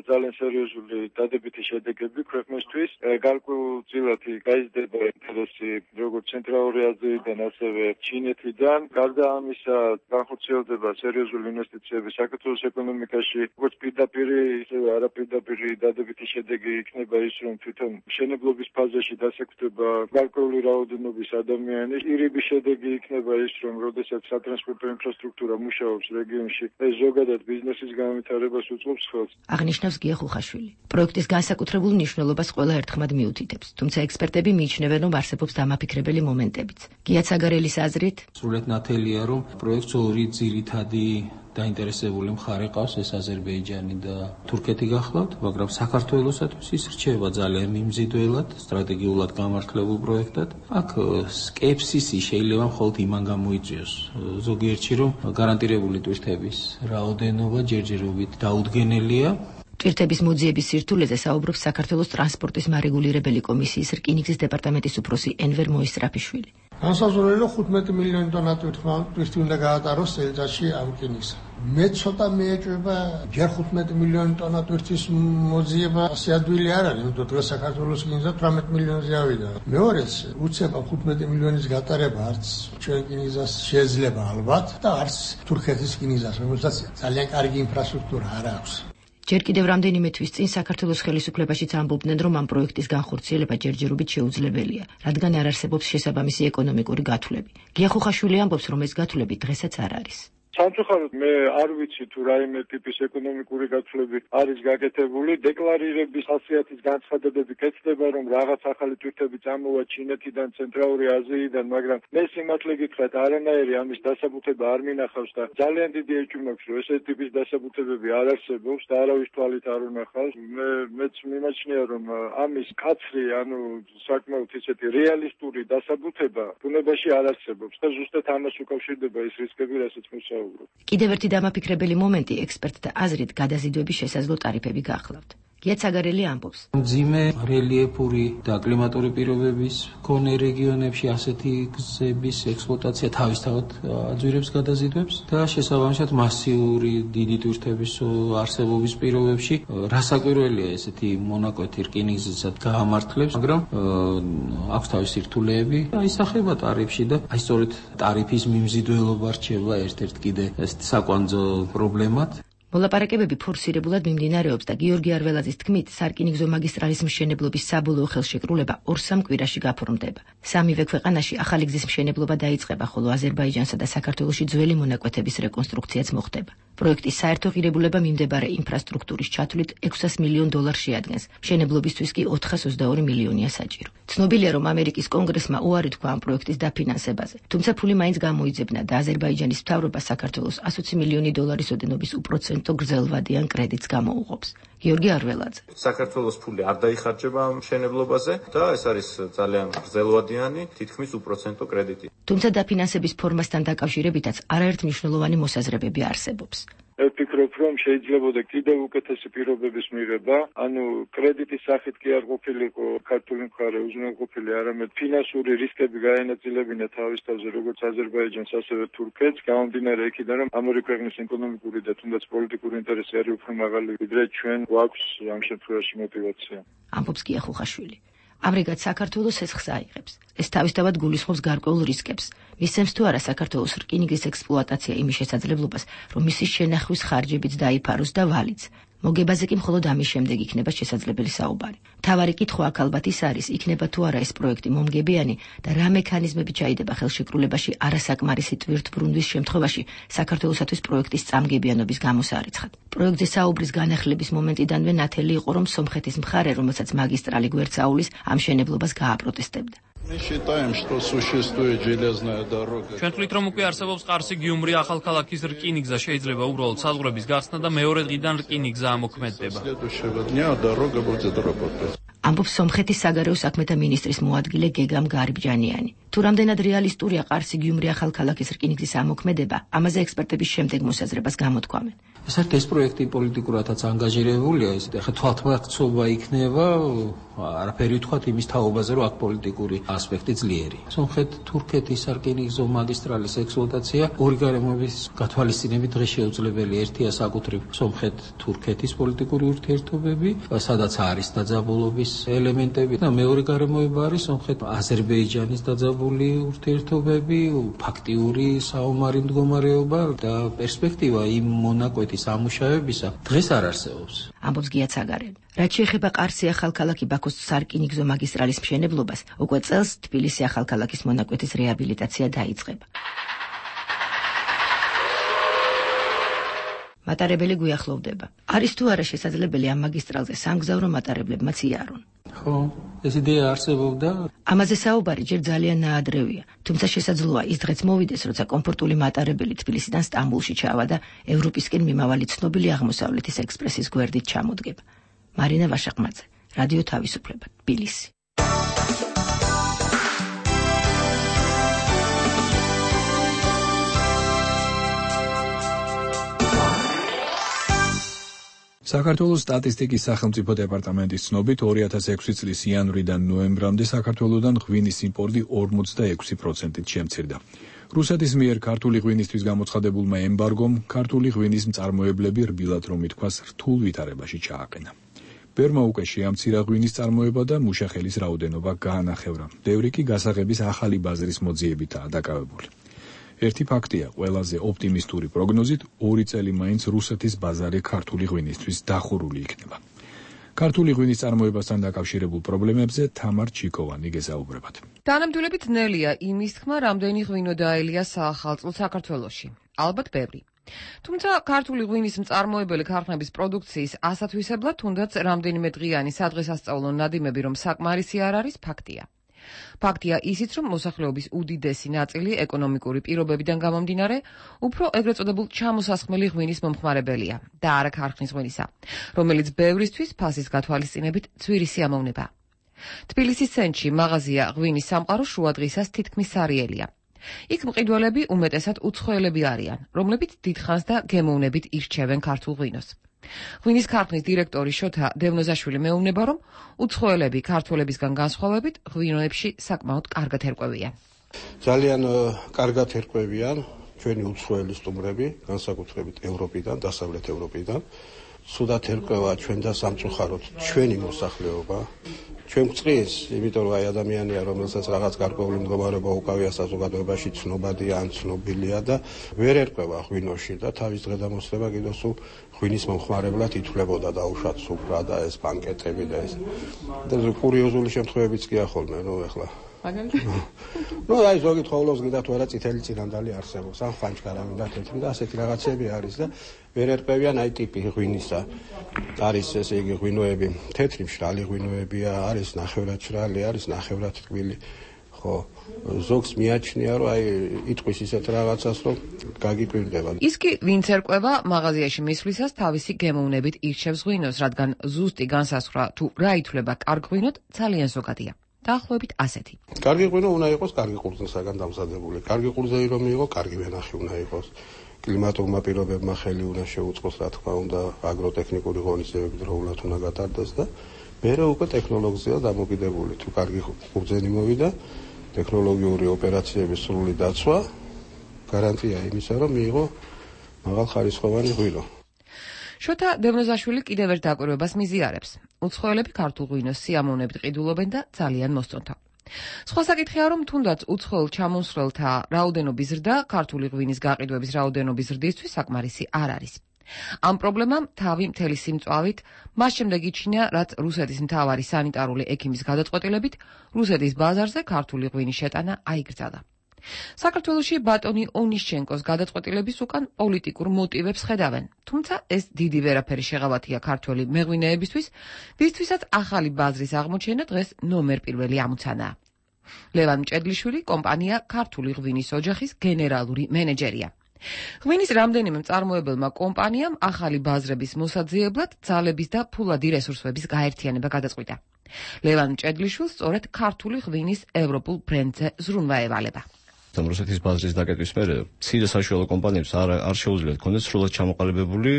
ძალიან სერიოზული დადებითი შედეგები ქვეყნისთვის. გარკვეულწილად გაიზრდება ინტერესი როგორც ცენტრალური აზიიდან, ასევე ჩინეთიდან. გარდა ამისა, განხორციელდება სერიოზული ინვესტიციები საქართველოს ეკონომიკაში. როგორც პირდაპირი, ისევე არაპირდაპირი დადებითი შედეგი იქნება ის, რომ თვითონ მშენებლობის ფაზაში დასაქმდება გარკვეული რაოდენობის ადამიანი. ირიბი შედეგი იქნება ის, რომ როდესაც სატრანსპორტო ინფრასტრუქტურა მუშაობს რეგიონში, ეს ზოგადად ბიზნესის განვითარებას უწყობს ხელს. აღნიშნავს გია ხუხაშვილი. პროექტის განსაკუთრებულ მნიშვნელობას ყველა ერთხმად მიუთითებს, თუმცა ექსპერტები მიიჩნევენ, რომ არსებობს დამაფიქრებელი მომენტებიც. გია ცაგარელის აზრით, სრულად ნათელია, რომ პროექტს ორი ძირითადი დაინტერესებული მხარე ყავს, ეს აზერბაიჯანი და თურქეთი გახლავთ, მაგრამ საქართველოსათვის ის რჩება ძალიან მიმზიდველად, სტრატეგიულად გამართლებულ პროექტად. აქ სკეპსისი შეიძლება მხოლოდ იმან გამოიწვიოს ზოგიერთში, რომ გარანტირებული ტვირთების რაოდენობა ჯერჯერობით დაუდგენელია. ტვირთების მოძიების სირთულეზე საუბრობს საქართველოს ტრანსპორტის მარეგულირებელი კომისიის რკინიგზის დეპარტამენტის უფროსი ენვერ მოისტრაფიშვილი. განსაზღვრულია ხუთმეტი მილიონი ტონა ტვირთი უნდა გაატაროს წელიწადში ამ რკინიგზა. მე ცოტა მეეჭვება ჯერ ხუთმეტი მილიონი ტონა ტვირთის მოძიება ასე ადვილი არ არის, იმიტომ დღეს საქართველოს რკინიგზა თვრამეტი მილიონზე ავიდა. მეორეც უცებ ხუთმეტი მილიონის გატარება არც ჩვენ რკინიგზას შეიძლება ალბათ და არც თურქეთის რკინიგზას, რომელსაც ძალიან კარგი ინფრასტრუქტურა არ აქვს. ჯერ კიდევ რამდენიმე თვის წინ საქართველოს ხელისუფლებაშიც ამბობდნენ, რომ ამ პროექტის განხორციელება ჯერჯერობით შეუძლებელია, რადგან არ არსებობს შესაბამისი ეკონომიკური გათვლები. გია ხუხაშვილი ამბობს, რომ ეს გათვლები დღესაც არ არის. სამწუხაროდ მე არ ვიცი თუ რაიმე ტიპის ეკონომიკური გათვლები არის გაკეთებული. დეკლარირების ხასიათის განცხადებები კეთდება, რომ რაღაც ახალი ტვირთები წამოვა ჩინეთიდან, ცენტრალური აზიიდან, მაგრამ მე სიმართლე გითხრათ, არანაირი ამის დასაბუთება არ მინახავს და ძალიან დიდი ეჭვი მაქვს, რომ ესეთი ტიპის დასაბუთებები არ არსებობს და არავის თვალით არ უნახავს. მე მეც მიმაჩნია, რომ ამის კაცრი, ანუ საკმაოდ ისეთი რეალისტური დასაბუთება ბუნებაში არ არსებობს და ზუსტად ამას უკავშირდება ის რისკები, რასაც მოსაუბრობ. კიდევ ერთი დამაფიქრებელი მომენტი ექსპერტთა აზრით გადაზიდვების შესაძლო ტარიფები გახლავთ. გია ცაგარელი ამბობს, მძიმე რელიეფური და კლიმატური პირობების მქონე რეგიონებში ასეთი გზების ექსპლუატაცია თავისთავად აძვირებს გადაზიდვებს და შესაბამისად მასიური დიდი ტვირთების არსებობის პირობებში რასაკვირველია ესეთი მონაკვეთი რკინიგზისად გაამართლებს, მაგრამ აქვს თავისი რთულეები, აისახება ტარიფში და აი სწორედ ტარიფის მიმზიდველობა რჩება ერთ-ერთ კიდე საკვანძო პრობლემად. მოლაპარაკებები ფორსირებულად მიმდინარეობს და გიორგი არველაძის თქმით, სარკინიგზო მაგისტრალის მშენებლობის საბოლოო ხელშეკრულება ორ-სამ კვირაში გაფორმდება. სამივე ქვეყანაში ახალი გზის მშენებლობა დაიწყება, ხოლო აზერბაიჯანსა და საქართველოში ძველი მონაკვეთების რეკონსტრუქციაც მოხდება. პროექტის საერთო ღირებულება მიმდებარე ინფრასტრუქტურის ჩათვლით ექვსას მილიონ დოლარს შეადგენს. მშენებლობისთვის კი ოთხას ოცდაორი მილიონია საჭირო. ცნობილია, რომ ამერიკის კონგრესმა უარი თქვა ამ პროექტის დაფინანსებაზე, თუმცა ფული მაინც გამოიძებნა და აზერბაიჯანის მთავრობა საქართველოს ასოცი მილიონი დოლარის ოდენობის უპროცენტო გრძელვადიან კრედიტს გამოუღობს. გიორგი არველაძე. საქართველოს ფული არ დაიხარჯება მშენებლობაზე და ეს არის ძალიან გრძელვადიანი, თითქმის უპროცენტო კრედიტი. თუმცა დაფინანსების ფორმასთან დაკავშირებითაც არაერთ მნიშვნელოვანი მოსაზრებები არსებობს. ვფიქრობ, რომ შეიძლებოდა კიდევ უკეთესი პირობების მიღება, ანუ კრედიტის სახით კი არ ყოფილიყო ქართული მხარე უზრუნველყოფილი, არამედ ფინანსური რისკები გაენაწილებინა თავის თავზე როგორც აზერბაიჯანს, ასევე თურქეთს, გამომდინარე იქიდან, რომ ამ ორი ქვეყნის ეკონომიკური და თუნდაც პოლიტიკური ინტერესი არის უფრო მაღალი, ვიდრე ჩვენ გვაქვს ამ შემთხვევაში мотиваცია. ამბობს გია ხუხაშვილი. ამრიგად საქართველოს ეს ხსა აიღებს. ეს თავისთავად გულისხმობს გარკვეულ რისკებს. მისცემს თუ არა საქართველოს რკინიგზის ექსპლუატაცია იმის შესაძლებლობას, რომ მისი შენახვის ხარჯებიც დაიფაროს და ვალიც. მოგებაზე კი მხოლოდ ამის შემდეგ იქნება შესაძლებელი საუბარი. მთავარი კითხვა აქ ალბათ ის არის, იქნება თუ არა ეს პროექტი მომგებიანი და რა მექანიზმები ჩაიდება ხელშეკრულებაში არასაკმარისი ტვირთბრუნვის შემთხვევაში საქართველოსათვის პროექტის წამგებიანობის გამოსარიცხად. პროექტზე საუბრის განახლების მომენტიდანვე ნათელი იყო, რომ სომხეთის მხარე, რომელსაც მაგისტრალი გვერდსაულის, ამ მშენებლობას გააპროტესტებდა. ჩვენ თვლით, რომ უკვე არსებობს ყარსი-გიუმრი ახალქალაქის რკინიგზა, შეიძლება უბრალოდ საზღვრების გახსნა და მეორე დღიდან რკინიგზა ამოქმედება. ამბობს სომხეთის საგარეო საქმეთა მინისტრის მოადგილე გეგამ გარიბჯანიანი. თუ რამდენად რეალისტურია ყარსი-გიუმრი ახალქალაქის რკინიგზის ამოქმედება, ამაზე ექსპერტების შემდეგ მოსაზრებას გამოთქვამენ. საერთოდ ეს პროექტი პოლიტიკურადაც ანგაჟირებულია, ისე ახლა თვალთმაქცობა იქნება, არაფერი ვთქვათ იმის თაობაზე, რომ აქ პოლიტიკური ასპექტი ძლიერი. სომხეთ-თურქეთის სარკინიგზო მაგისტრალის ექსპლუატაცია ორი გარემოების გათვალისწინებით დღეს შეუძლებელი. ერთია საკუთრივ სომხეთ-თურქეთის პოლიტიკური ურთიერთობები, სადაც არის დაძაბულობის ელემენტები და მეორე გარემოება არის სომხეთ-აზერბაიჯანის დაძაბული ურთიერთობები, ფაქტიური საომარი მდგომარეობა და პერსპექტივა იმ მონაკვეთის ამუშავებისა დღეს არ არსებობს. ამბობს გია ცაგარელი. რაც შეეხება ყარსი ახალქალაქი ბაქოს სარკინიგზო მაგისტრალის მშენებლობას, უკვე წელს თბილისი ახალქალაქის მონაკვეთის რეაბილიტაცია დაიწყება. მატარებელი გვიახლოვდება. არის თუ არა შესაძლებელი ამ მაგისტრალზე სამგზავრო მატარებლებმაც იარონ? ხო, ეს იდეა არსებობდა. ამაზე საუბარი ჯერ ძალიან ნაადრევია, თუმცა შესაძლოა ის დღეც მოვიდეს, როცა კომფორტული მატარებელი თბილისიდან სტამბულში ჩავა და ევროპისკენ მიმავალი ცნობილი აღმოსავლეთის ექსპრესის გვერდით ჩამოდგება. მარინა ვაშაყმაძე, რადიო თავისუფლება, თბილისი. საქართველოს სტატისტიკის სახელმწიფო დეპარტამენტის ცნობით ორი ათას ექვსი წლის იანვრიდან ნოემბრამდე საქართველოსდან ღვინის იმპორტი ორმოცდაექვსი პროცენტით შემცირდა. რუსეთის მიერ ქართული ღვინისთვის გამოცხადებულმა ემბარგომ ქართული ღვინის მწარმოებლები რბილად რომ ითქვას რთულ ვითარებაში ჩააყენა. ბერმა უკვე შეამცირა ღვინის წარმოება და მუშახელის რაოდენობა გაანახევრა. ბევრი კი გასაღების ახალი ბაზრის მოძიებითაა დაკავებული. ერთი ფაქტია, ყველაზე ოპტიმისტური პროგნოზით ორი წელი მაინც რუსეთის ბაზარი ქართული ღვინისთვის დახურული იქნება. ქართული ღვინის წარმოებასთან დაკავშირებულ პრობლემებზე თამარ ჩიკოვანი გესაუბრებათ. თანამდებობით ნელია იმის თქმა, რამდენი ღვინო დაელია საახალწლოდ საქართველოში. ალბათ ბევრი. თუმცა ქართული ღვინის მწარმოებელი ქარხნების პროდუქციის ასათვისებლად თუნდაც რამდენიმე დღიანი სადღესასწაულო ნადიმები რომ საკმარისი არ არის ფაქტია. ფაქტია ისიც, რომ მოსახლეობის უდიდესი ნაწილი ეკონომიკური პირობებიდან გამომდინარე, უფრო ეგრეთ წოდებულ ჩამოსასხმელი ღვინის მომხმარებელია და არა ქარხნის ღვინისა, რომელიც ბევრისთვის ფასის გათვალისწინებით ძვირი სიამოვნება. თბილისის ცენტრში მაღაზია ღვინის სამყარო შუადღისას თითქმის სარიელია. იქ მყიდველები უმეტესად უცხოელები არიან, რომლებიც დიდხანს და გემოვნებით ირჩევენ ქართულ ღვინოს. ღვინის ქარხნის დირექტორი შოთა დევნოზაშვილი მეუბნება, რომ უცხოელები ქართველებისგან განსხვავებით ღვინოებში საკმაოდ კარგად ერკვევიან. ძალიან კარგად ერკვევიან ჩვენი უცხოელი სტუმრები, განსაკუთრებით ევროპიდან, დასავლეთ ევროპიდან. სუდათ ერკვევა ჩვენ და სამწუხაროდ ჩვენი მოსახლეობა. ჩვენ გვწყის, იმიტომ რომ აი ადამიანია, რომელსაც რაღაც გარკვეული მდგომარეობა უკავია საზოგადოებაში, ცნობადია ან ცნობილია და ვერ ერკვევა ღვინოში და თავის დღედამოსლება კიდევ სულ ღვინის მომხმარებლად ითვლებოდა დაუშვათ სუფრა და ეს ბანკეტები და ეს. და კურიოზული შემთხვევებიც კი ახოლმე, ნუ ეხლა. მაგალითად? ნუ აი ზოგი თხოვლობს გიდათ ვერა წითელი წინანდალი არსებობს, ან ხვანჩქარა მინდა თეთრი და ასეთი რაღაცები არის და ვერ ერკვევიან აი ტიპი ღვინისა. არის ესე იგი ღვინოები, თეთრი მშრალი ღვინოებია, არის ნახევრად მშრალი, არის ნახევრად ტკბილი. ხო, ზოგს მიაჩნია, რომ აი იტყვის ისეთ რაღაცას, რომ გაგიკვირდება. ის კი ვინც ერკვევა მაღაზიაში მისვლისას თავისი გემოვნებით ირჩევს ღვინოს, რადგან ზუსტი განსაზღვრა თუ რა ითვლება კარგ ღვინოდ ძალიან ზოგადია. დაახლოებით ასეთი. კარგი ღვინო უნდა იყოს კარგი ყურძნისაგან დამზადებული. კარგი ყურძენი რომ იყო, კარგი ვენახი უნდა იყოს. კლიმატურმა პირობებმა ხელი უნდა შეუწყოს, რა თქმა უნდა, აგროტექნიკური ღონისძიებები დროულად უნდა გატარდეს და მერე უკვე ტექნოლოგიაა დამოკიდებული. თუ კარგი ყურძენი მოვიდა, ტექნოლოგიური ოპერაციების სრული დაცვა, გარანტია იმისა, რომ მიიღო მაღალხარისხოვანი ღვინო. შოთა დევნოზაშვილი კიდევ ერთ დაკვირვებას მიზიარებს. უცხოელები ქართულ ღვინოს სიამოვნებით ყიდულობენ და ძალიან მოსწონთ. სხვა საკითხია, რომ თუნდაც უცხოელ ჩამოსვლელთა რაოდენობის ზრდა ქართული ღვინის გაყიდვების რაოდენობის ზრდისთვის საკმარისი არ არის. ამ პრობლემამ თავი მთელი სიმწვავით მას შემდეგ იჩინა, რაც რუსეთის მთავარი სანიტარული ექიმის გადაწყვეტილებით რუსეთის ბაზარზე ქართული ღვინის შეტანა აიგრძალა. საქართველოში ბატონი ონიშჩენკოს გადაწყვეტილების უკან პოლიტიკურ მოტივებს ხედავენ, თუმცა ეს დიდი ვერაფერი შეღავათია ქართველი მეღვინეებისთვის, ვისთვისაც ახალი ბაზრის აღმოჩენა დღეს ნომერ პირველი ამოცანაა. ლევან მჭედლიშვილი კომპანია ქართული ღვინის ოჯახის გენერალური მენეჯერია. ღვინის რამდენიმე მწარმოებელმა კომპანიამ ახალი ბაზრების მოსაძიებლად ძალების და ფულადი რესურსების გაერთიანება გადაწყვიტა. ლევან მჭედლიშვილს სწორედ ქართული ღვინის ევროპულ ბრენდზე ზრუნვა ევალება. რუსეთის ბაზრის დაკეტვის მერე მცირე საშუალო კომპანიებს არ არ შეუძლიათ კონდეს სრულად ჩამოყალიბებული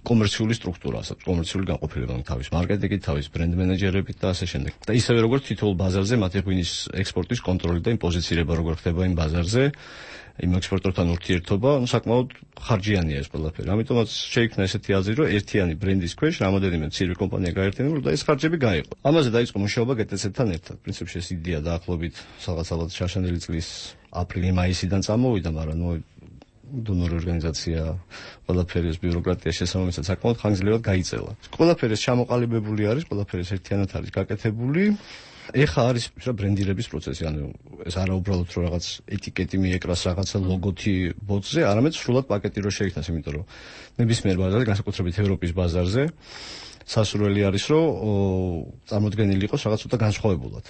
კომერციული სტრუქტურა, ասած კომერციული განყოფილება, თავის მარკეტინგით, თავის ბრენდ მენეჯერებით და ასე შემდეგ. და ისევე როგორც თითოეულ ბაზარზე მათი ღვინის ექსპორტის კონტროლი და იმ პოზიცირება როგორ ხდება იმ ბაზარზე, იმ ექსპორტორთან ურთიერთობა, ну საკმაოდ ხარჯიანია ეს ყველაფერი. ამიტომაც შეიქმნა ესეთი აზრი, რომ ერთიანი ბრენდის ქვეშ რამოდენიმე მცირე კომპანია გაერთიანებული და ეს ხარჯები გაიყო. ამაზე დაიწყო მუშაობა გე ტე ცე-თან ერთად. პრინციპში ეს იდეა დაახლოებით სადღაც ალბათ შაშანელი წლის აპრილი-მაისიდან წამოვიდა, მაგრამ ნუ დონორი ორგანიზაცია ყველაფერი ეს ბიუროკრატია შესაბამისად საკმაოდ ხანგრძლივად გაიწელა. ყველაფერი ჩამოყალიბებული არის, ყველაფერი ერთიანად არის გაკეთებული. ეხა არის რა ბრენდირების პროცესი, ანუ ეს არა უბრალოდ რომ რაღაც ეტიკეტი მიეკრას რაღაცა ლოგოთი ბოთზე, არამედ სრულად პაკეტი რო შეიქმნას, იმიტომ რომ ნებისმიერ ბაზარზე, განსაკუთრებით ევროპის ბაზარზე, სასურველი არის რომ წარმოდგენილი იყოს რაღაც ცოტა განსხვავებულად.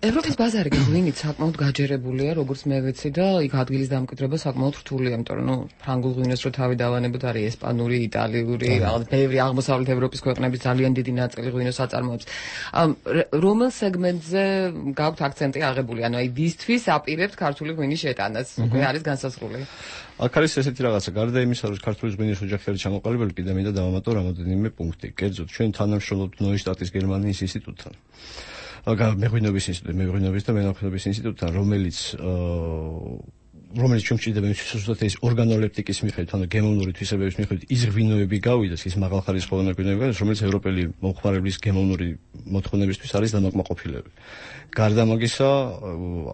ევროპის ბაზარი გვინით საკმაოდ გაჯერებულია, როგორც მე ვიცი და იქ ადგილის დამკვიდრება საკმაოდ რთულია, იმიტომ რომ ნუ ფრანგულ ღვინოს რო თავი დავანებოთ არის ესპანური, იტალიური, რაღაც ბევრი აღმოსავლეთ ევროპის ქვეყნების ძალიან დიდი ნაწილი ღვინოს აწარმოებს. რომელ სეგმენტზე გაქვთ აქცენტი აღებული, ანუ აი ვისთვის აპირებთ ქართული ღვინის შეტანას, უკვე არის განსაზღვრული. აქ არის ესეთი რაღაცა, გარდა იმისა, რომ ქართული ღვინის ოჯახი არის ჩამოყალიბებული, კიდევ მინდა დავამატო რამოდენიმე პუნქტი. კერძოდ, ჩვენ თანამშრომლობთ ნოიშტატის გერმანიის ინსტიტუტთან. მეღვინეობის ინსტიტუტი, მეღვინეობის და მენახეობის ინსტიტუტთან, რომელიც რომელიც ჩვენ გვჭირდება იმისთვის, რომ ეს ორგანოლეპტიკის მიხედვით, ანუ გემოვნური თვისებების მიხედვით ის ღვინოები გავიდეს, ის მაღალხარისხოვანი ღვინოები, რომელიც ევროპელი მომხმარებლის გემოვნური მოთხოვნებისთვის არის დამაკმაყოფილებელი. გარდა მაგისა,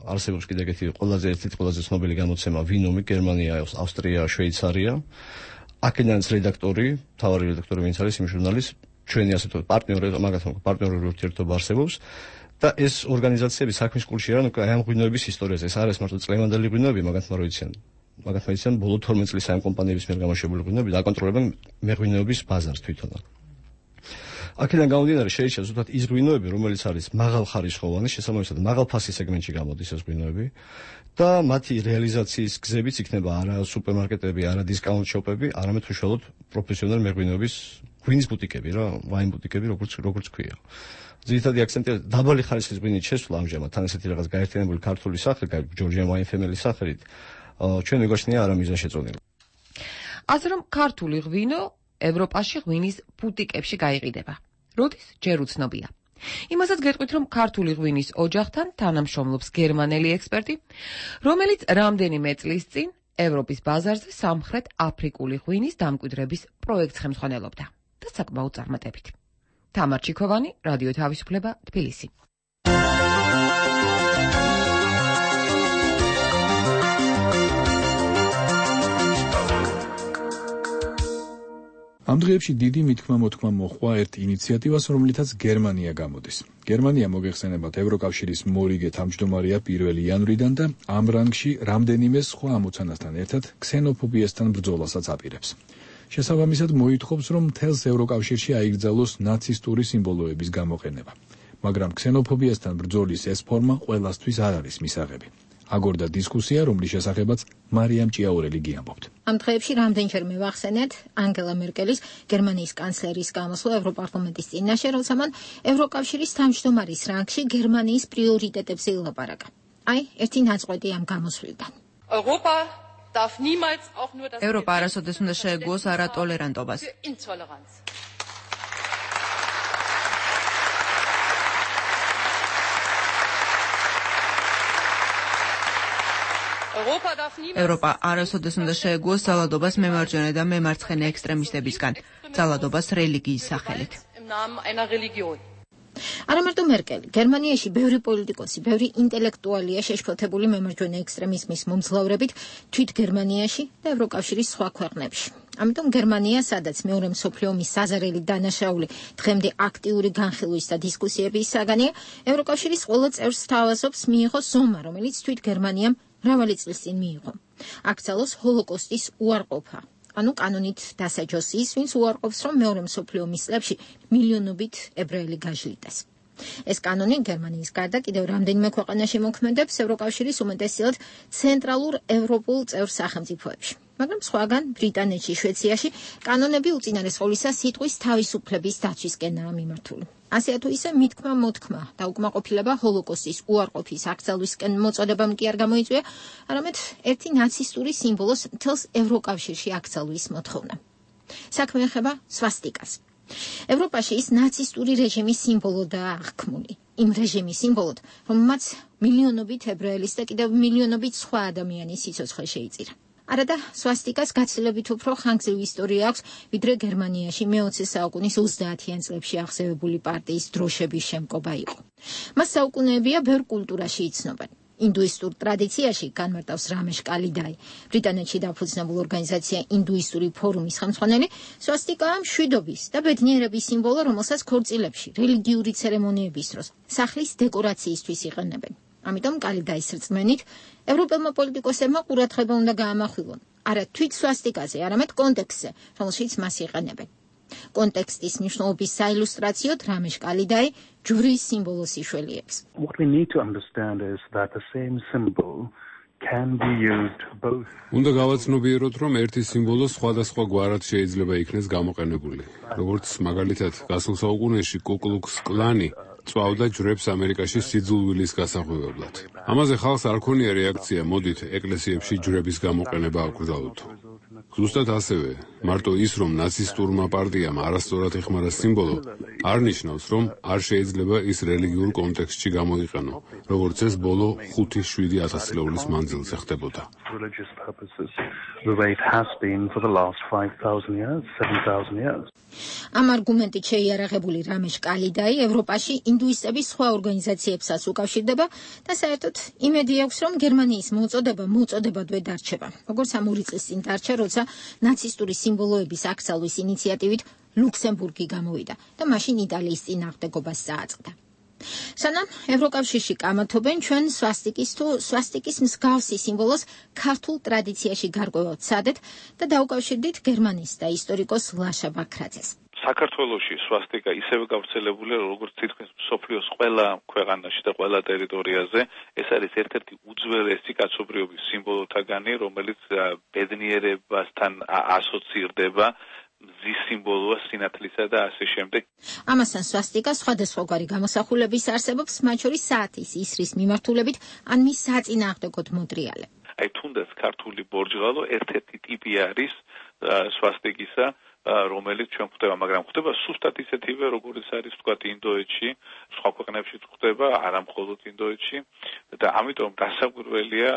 არსებობს კიდევ ეგეთი ყველაზე ერთ-ერთი ყველაზე ცნობილი გამოცემა ვინომი, გერმანია, ავსტრია, შვეიცარია. აქედანაც რედაქტორი, მთავარი რედაქტორი ვინც არის იმ ჟურნალის ჩვენი ასე ვთქვათ პარტნიორი, მაგათთან პარტნიორული ურთიერთობა არსებობს და ეს ორგანიზაციები საქმის კულში არიან უკვე ამ ღვინოების ისტორიაზე. ეს არის მარტო წლევანდელი ღვინოები, მაგათმა რო იციან. მაგათმა იციან ბოლო თორმეტ წლის ამ კომპანიების მიერ გამოშვებული ღვინოები და აკონტროლებენ მეღვინეობის ბაზარს თვითონ. აქედან გამომდინარე შეიჭრა ზუსტად ის ღვინოები, რომელიც არის მაღალხარისხოვანი, შესაბამისად მაღალ ფასის სეგმენტში გამოდის ეს ღვინოები და მათი რეალიზაციის გზებიც იქნება არა სუპერმარკეტები, არა დისკაუნტ შოპები, არამედ უშუალოდ პროფესიონალი მეღვინეობის ღვინის ბუტიკები რა, ვაინ ბუტიკები, როგორც როგორც ქვია. ძირითადი აქცენტია დაბალი ხარისხის ღვინით შესვლა ამჟამად, თან ესეთი რაღაც გაერთიანებული ქართული სახე, ჯორჯიან ვაინ ფემილის სახელით, ჩვენ მეგოჩნია არა მიზანშეწონილი. ასე რომ ქართული ღვინო ევროპაში ღვინის ბუტიკებში გაიყიდება. როდის ჯერ უცნობია. იმასაც გეტყვით, რომ ქართული ღვინის ოჯახთან თანამშრომლობს გერმანელი ექსპერტი, რომელიც რამდენიმე წლის წინ ევროპის ბაზარზე სამხრეთ აფრიკული ღვინის დამკვიდრების პროექტს ხელმძღვანელობდა და საკმაოდ წარმატებით. თამარ ჩიქოვანი, რადიო თავისუფლება, თბილისი. ამ დღეებში დიდი მithქმა-მოთქმა მოჰყვა ერთ ინიციატივას, რომლითაც გერმანია გამოდის. გერმანია მოგეხსენებათ ევროკავშირის მორიგე თავმჯდომარეა პირველი იანვრიდან და ამ რანგში რამდენიმე სხვა ამოცანასთან ერთად ქსენოფობიასთან ბრძოლასაც აპირებს. შესაბამისად მოითხოვს, რომ მთელს ევროკავშირში აიგრძალოს ნაცისტური სიმბოლოების გამოყენება. მაგრამ ქსენოფობიასთან ბრძოლის ეს ფორმა ყველასთვის არ არის მისაღები. აგორდა დისკუსია, რომლის შესახებაც მარიამ ჭიაურელი გიამბობთ. ამ დღეებში რამდენჯერმე ვახსენეთ ანგელა მერკელის, გერმანიის კანცლერის გამოსვლა ევროპარლამენტის წინაშე, როცა მან ევროკავშირის თავმჯდომარის რანგში გერმანიის პრიორიტეტებზე ილაპარაკა. აი, ერთი ნაწყვეტი ამ გამოსვლიდან. ევროპა არასოდეს უნდა შეეგუოს არატოლერანტობას. ევროპა არასოდეს უნდა შეეგუოს ძალადობას მემარჯვენე და მემარცხენე ექსტრემისტებისგან, ძალადობას რელიგიის სახელით. არა მარტო მერკელი, გერმანიაში ბევრი პოლიტიკოსი, ბევრი ინტელექტუალია შეშფოთებული მემარჯვენე ექსტრემიზმის მომძლავრებით თვით გერმანიაში და ევროკავშირის სხვა ქვეყნებში. ამიტომ გერმანია, სადაც მეორე მსოფლიო ომის საზარელი დანაშაული დღემდე აქტიური განხილვის და დისკუსიების საგანია, ევროკავშირის ყველა წევრს სთავაზობს მიიღოს ზომა, რომელიც თვით გერმანიამ მრავალი წლის წინ მიიღო. აკრძალოს ჰოლოკოსტის უარყოფა. ანუ კანონით დასაჯოს ის, ვინც უარყოფს, რომ მეორე მსოფლიო ომის წლებში მილიონობით ებრაელი გაჟლიტეს. ეს კანონი გერმანიის გარდა კიდევ რამდენიმე ქვეყანაში მოქმედებს ევროკავშირის უმეტესწილად ცენტრალურ ევროპულ წევრ სახელმწიფოებში. მაგრამ სხვაგან ბრიტანეთში, შვეიცარიაში კანონები უწინარესყოლისა სიტყვის თავისუფლების დაცვისკენაა მიმართული. ასე თუ ისე მithქმა-მოთქმა და უკმაყოფილება ჰოლოკოსტის უარყოფის აკრძალვისკენ მოწოდებამ კი არ გამოიწვია, არამედ ერთი ნაცისტური სიმბოლოს მთელს ევროკავშირში აკრძალვის მოთხოვნა. საქმე ეხება სვასტიკას. ევროპაში ის ნაცისტური რეჟიმის სიმბოლოდაა აღქმული. იმ რეჟიმის სიმბოლოდ, რომელმაც მილიონობით ებრაელის და კიდევ მილიონობით სხვა ადამიანის სიცოცხლე შეიწირა. არადა სვასტიკას გაცილებით უფრო ხანგრძლივი ისტორია აქვს, ვიდრე გერმანიაში მეოცე საუკუნის ოცდაათიან წლებში აღზევებული პარტიის დროშების შემკობა იყო. მას საუკუნეებია ბევრ კულტურაში იცნობენ. ინდუისტურ ტრადიციაში განმარტავს რამეშ კალიდაი. ბრიტანეთში დაფუძნებულ ორგანიზაცია ინდუისტური ფორუმის ხელმძღვანელი, სვასტიკაა მშვიდობის და ბედნიერების სიმბოლო, რომელსაც ქორწილებში, რელიგიური ცერემონიების დროს, სახლის დეკორაციისთვის იყენებენ. ამიტომ კალიდაის რწმენით, ევროპელმა პოლიტიკოსებმა ყურადღება უნდა გაამახვილონ არა თვით სვასტიკაზე, არამედ კონტექსტზე, რომელშიც მას იყენებენ. კონტექსტის მნიშვნელობის საილუსტრაციოდ რამეშ კალიდაი ჯვრის სიმბოლოს იშველიებს. What we need to understand is that the same symbol can be used both. უნდა გავაცნობიეროთ, რომ ერთი სიმბოლო სხვადასხვა გვარად შეიძლება იქნეს გამოყენებული. როგორც მაგალითად, გასულ საუკუნეში კუკლუქს კლანი წვავდა ჯვრებს ამერიკაში სიძულვილის გასახვევებლად. ამაზე ხალხს არ ქონია რეაქცია, მოდით ეკლესიებში ჯვრების გამოყენება აკვირდაოთ. ზუსტად ასევე, მარტო ის, რომ ნაცისტურმა პარტიამ არასწორად ეხმარა სიმბოლო, არ ნიშნავს, რომ არ შეიძლება ის რელიგიურ კონტექსტში გამოიყენო, როგორც ეს ბოლო ხუთი შვიდი ათასწლეულის მანძილზე ხდებოდა. ამ არგუმენტით შეიარაღებული რამეშ კალიდაი ევროპაში ინდუისტების სხვა ორგანიზაციებსაც უკავშირდება და საერთოდ იმედი აქვს, რომ გერმანიის მოწოდება მოწოდებადვე დარჩება. როგორც ამ ორი წლის წინ დარჩა, როცა ნაცისტური სიმბოლოების აკრძალვის ინიციატივით ლუქსემბურგი გამოვიდა და მაშინ იტალიის წინააღმდეგობას წააწყდა. სანამ ევროკავშირში კამათობენ, ჩვენ სვასტიკის თუ სვასტიკის მსგავსი სიმბოლოს ქართულ ტრადიციაში გარკვევა ვცადეთ და დაუკავშირდით გერმანის და ისტორიკოს ლაშა ბაქრაძეს. საქართველოში სვასტიკა ისევე გავრცელებულია, როგორც თითქმის მსოფლიოს ყველა ქვეყანაში და ყველა ტერიტორიაზე. ეს არის ერთ-ერთი უძველესი კაცობრიობის სიმბოლოთაგანი, რომელიც ბედნიერებასთან ასოცირდება. მზის სიმბოლოა, სინათლისა და ასე შემდეგ. ამასთან სვასტიკა სხვადასხვაგვარი გამოსახულების არსებობს, მათ შორის საათის ისრის მიმართულებით ან მის საწინააღმდეგოდ მოტრიალე. აი თუნდაც ქართული ბორჯღალო ერთ-ერთი ტიპი არის სვასტიკისა, რომელიც ჩვენ ხვდება, მაგრამ ხვდება სუსტად ისეთივე, როგორც არის ვთქვათ ინდოეთში, სხვა ქვეყნებშიც ხვდება, არა მხოლოდ ინდოეთში და ამიტომ დასაკვირველია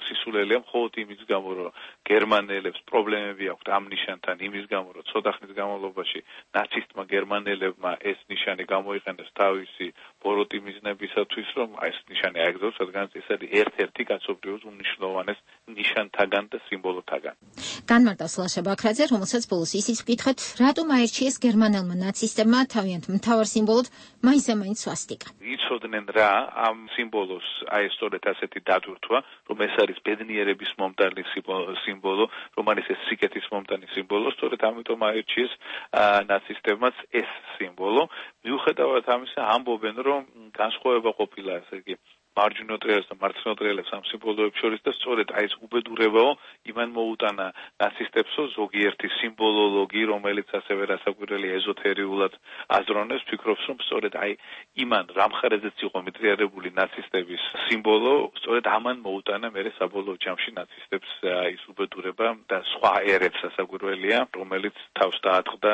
სისულელია მხოლოდ იმის გამო, რომ გერმანელებს პრობლემები აქვთ ამ ნიშანთან, იმის გამო, რომ ცოტა ხნის განმავლობაში ნაცისტმა გერმანელებმა ეს ნიშანი გამოიყენეს თავისი ბოროტი მიზნებისათვის, რომ ეს ნიშანი აეგზავოს, რადგან ეს არის ერთ-ერთი კაცობრიობის უმნიშვნელოვანეს ნიშანთაგან და სიმბოლოთაგან. განმარტავს ლაშა ბაქრაძე, რომელსაც ბოლოს ისიც ვკითხეთ, რატომ აირჩიეს გერმანელმა ნაცისტებმა თავიანთ მთავარ სიმბოლოდ მაინც-მაინც სვასტიკა. იცოდნენ რა ამ სიმბოლოს, აი სწორედ ასეთი დატვირთვა, რომ ეს არის ბედნიერების მომტანი სიმბოლო, რომ არის ეს სიკეთის მომტანი სიმბოლო, სწორედ ამიტომ აირჩიეს ნაცისტებმაც ეს სიმბოლო. მიუხედავად ამისა, ამბობენ, რომ განსხვავება ყოფილა, ესე იგი, მარჯვნივ ტრიალებს და მარცხნივ ტრიალებს ამ სიმბოლოებს შორის და სწორედ აი ეს უბედურებაო იმან მოუტანა ნაცისტებსო ზოგიერთი სიმბოლოლოგი, რომელიც ასევე რასაკვირველია ეზოთერიულად აზროვნებს, ფიქრობს, რომ სწორედ აი იმან რამხარეზეც იყო მიტრიალებული ნაცისტების სიმბოლო, სწორედ ამან მოუტანა მერე საბოლოო ჯამში ნაცისტებს ის უბედურება და სხვა ერებს რასაკვირველია, რომელიც თავს დაატყდა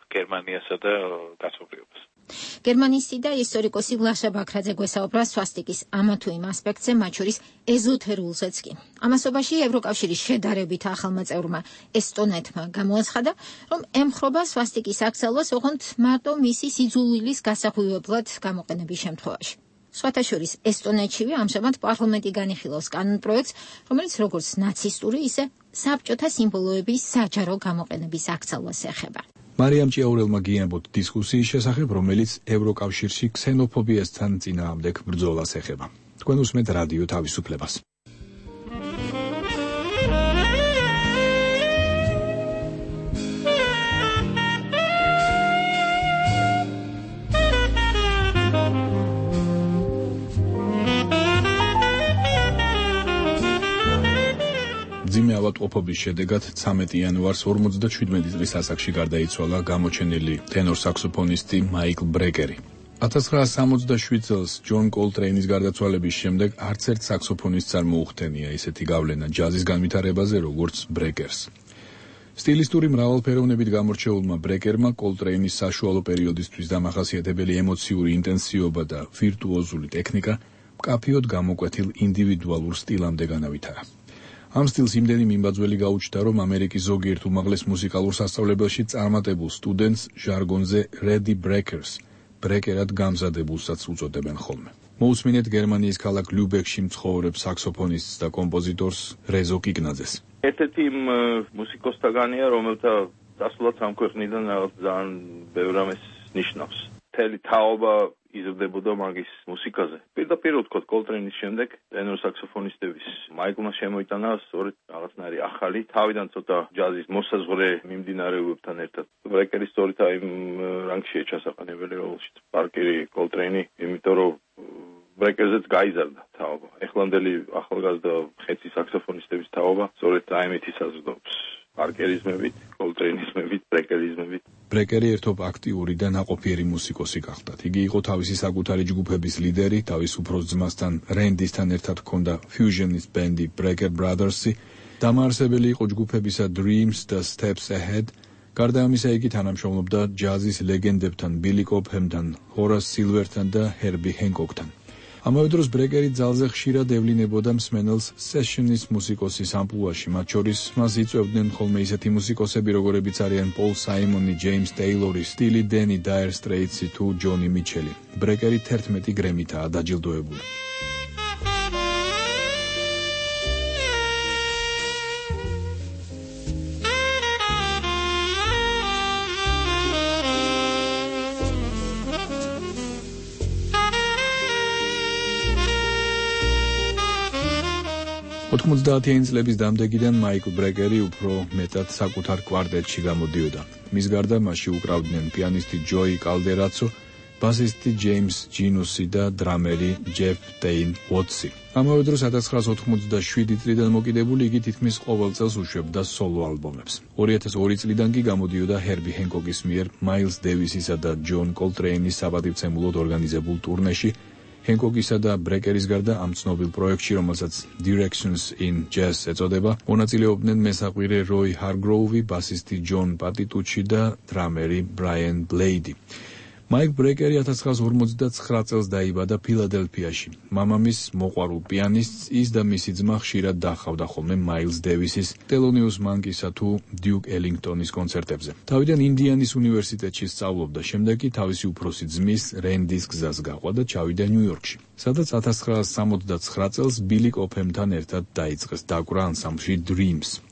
გერმანიასა და კაცობრიობას. გერმანისტი და ისტორიკოსი ლაშა ბაქრაძე გვესაუბრა სვასტიკის ამა თუ იმ ასპექტზე, მათ შორის ეზოთერულზეც კი. ამასობაში ევროკავშირის შედარებით ახალმა წევრმა ესტონეთმა გამოაცხადა, რომ ემხრობა სვასტიკის აკრძალვას ოღონდ მარტო მისი სიძულვილის გასახვევებლად გამოყენების შემთხვევაში. სხვათა შორის ესტონეთშივე ამჟამად პარლამენტი განიხილავს კანონპროექტს, რომელიც როგორც ნაცისტური, ისე საბჭოთა სიმბოლოების საჯარო გამოყენების აკრძალვას ეხება. მარიამ ჭიაურელმა გიამბოთ დისკუსიის შესახებ, რომელიც ევროკავშირში ქსენოფობიასთან წინააღმდეგ ბრძოლას ეხება. თქვენ უსმენთ რადიო თავისუფლებას. ძიმე ავადმყოფობის შედეგად ცამეტი იანვარს ორმოცდაშვიდმეტი წლის ასაკში გარდაიცვალა გამოჩენილი ტენორ საქსოფონისტი მაიკლ ბრეკერი. ათას ცხრაასი სამოცდაშვიდ წელს ჯონ კოლტრეინის გარდაცვალების შემდეგ არც ერთ საქსოფონისტს არ მოუხდენია ისეთი გავლენა ჯაზის განვითარებაზე, როგორც ბრეკერს. სტილისტური მრავალფეროვნებით გამორჩეულმა ბრეკერმა კოლტრეინის საშუალო პერიოდისთვის დამახასიათებელი ემოციური ინტენსივობა და ვირტუოზული ტექნიკა მკაფიოდ გამოკვეთილ ინდივიდუალურ სტილამდე განავითარა. ამ სტილს იმდენი მიმბაძველი გაუჩნდა, რომ ამერიკის ზოგიერთ უმაღლეს მუსიკალურ სასწავლებელში წარმატებულ სტუდენტს ჟარგონზე Ready Breakers, ბრეკერად გამზადებულსაც უწოდებენ ხოლმე. მოусმინეთ გერმანიის ქალაქ ლიუბეკში მცხოვრებ საქსოფონისტს და კომპოზიტორს რეზო კიკნაძეს. ერთ-ერთი იმ მუსიკოსთაგანია, რომელთა დასვლაც ამ ქვეყნიდან რაღაც ძალიან ბევრ რამეს ნიშნავს. მთელი თაობა იზრდებოდა მაგის მუსიკაზე. პირდაპირ ვთქვათ, კოლტრეინის შემდეგ ტენორ საქსოფონისტების მაიკლმა შემოიტანა სწორედ რაღაცნაირი ახალი, თავიდან ცოტა ჯაზის მოსაზღვრე მიმდინარეობებთან ერთად. ბრეკერი სწორედ აი იმ რანგშია ჩასაყენებელი, რომელშიც პარკერი, კოლტრეინი, იმიტომ რომ ბრეკერზეც გაიზარდა თაობა. ეხლანდელი ახალგაზრდა ხეცი საქსოფონისტების თაობა სწორედ აიმეთი საზრდოობს. პარკერიზმებით, კოლტრეინიზმებით, ბრეკერიზმებით. ბრეკერი ერთობ აქტიური და ნაყოფიერი მუსიკოსი გახდათ. იგი იყო თავისი საკუთარი ჯგუფების ლიდერი, თავის უფროს ძმასთან რენდისთან ერთად ჰქონდა ფიუჟენის ბენდი Brecker Brothers-ი, დამაარსებელი იყო ჯგუფებისა Dreams და Steps Ahead. გარდა ამისა, იგი თანამშრომლობდა ჯაზის ლეგენდებთან, Billy Cobhamთან, Horace Silverთან და Herbie Hancockთან. ამავე დროს ბრეკერი ძალზე ხშირად ევლინებოდა მსმენელს სეშნის მუსიკოსის ამპლუაში, მათ შორის მას იწვევდნენ ხოლმე ისეთი მუსიკოსები, როგორებიც არიან პოლ საიმონი, ჯეიმს ტეილორი, სტილი დენი, დაერ სტრეიტსი თუ ჯონი მიჩელი. ბრეკერი თერთმეტი გრემითაა დაჯილდოებული. ოთხმოცდაათიანი წლების დამდეგიდან მაიკლ ბრეკერი უფრო მეტად საკუთარ კვარტეტში გამოდიოდა. მის გარდა მასში უკრავდნენ პიანისტი ჯოი კალდერაცო, ბასისტი ჯეიმს ჯინუსი და დრამერი ჯეფ ტეინ უოტსი. ამავე დროს ათას ცხრაასი ოთხმოცდაშვიდი წლიდან მოკიდებული იგი თითქმის ყოველ წელს უშვებდა სოლო ალბომებს. ორი ათას ორი წლიდან კი გამოდიოდა ჰერბი ჰენკოკის მიერ მაილს დევისისა და ჯონ კოლტრეინის საპატივცემულოდ ორგანიზებულ ტურნეში. ჰენკოკისა და ბრეკერის გარდა ამ ცნობილ პროექტში, რომელსაც Directions in Jazz ეწოდება, მონაწილეობდნენ მესაყვირე როი ჰარგროუვი, ბასისტი ჯონ პატიტუჩი და დრამერი ბრაიან ბლეიდი. მაიკლ ბრეკერი ათას ცხრაასი ორმოცდაცხრა წელს დაიბადა ფილადელფიაში. მამამის მოყვარულ პიანისტს ის და მისი ძმა ხშირად დაჰყავდა ხოლმე მაილს დევისის, ტელონიუს მანკისა თუ დიუკ ელინგტონის კონცერტებზე. თავიდან ინდიანის უნივერსიტეტში სწავლობდა, შემდეგ კი თავისი უფროსი ძმის რენდის გზას გაყვა და ჩავიდა ნიუ-იორკში, სადაც ათას ცხრაასი სამოცდაცხრა წელს ბილი კოფჰემთან ერთად დაიწყეს დაკვრა ანსამბლში Dreams.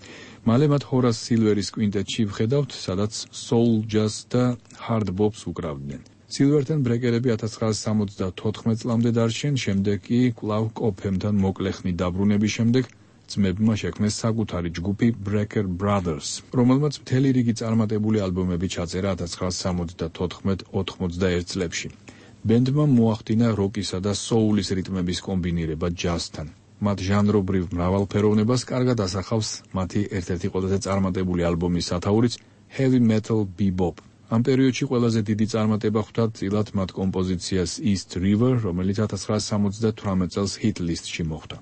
მალე მათ ჰორას სილვერის კვინტეტში ვხედავთ, სადაც soul jazz და hard bops უკრავდნენ. სილვერთან ბრეკერები ათას ცხრაასი სამოცდათოთხმეტ წლამდე დარჩნენ, შემდეგ კი კვლავ კოფჰემთან მოკლეხნი დაბრუნების შემდეგ ძმებმა შექმნეს საკუთარი ჯგუფი Brecker Brothers, რომელმაც მთელი რიგი წარმატებული ალბომები ჩაწერა ათას ცხრაასი სამოცდათოთხმეტ ოთხმოცდაერთ წლებში. ბენდმა მოახდინა როკისა და soul-ის რიტმების კომბინირება ჯაზთან. მათ ჟანრობრივ მრავალფეროვნებას კარგად ასახავს მათი ერთ-ერთი ყველაზე წარმატებული ალბომის სათაურიც Heavy Metal Bebop. ამ პერიოდში ყველაზე დიდი წარმატება ხვდა წილად მათ კომპოზიციას East River, რომელიც ათას ცხრაასი სამოცდათვრამეტ წელს hit list-ში მოხვდა.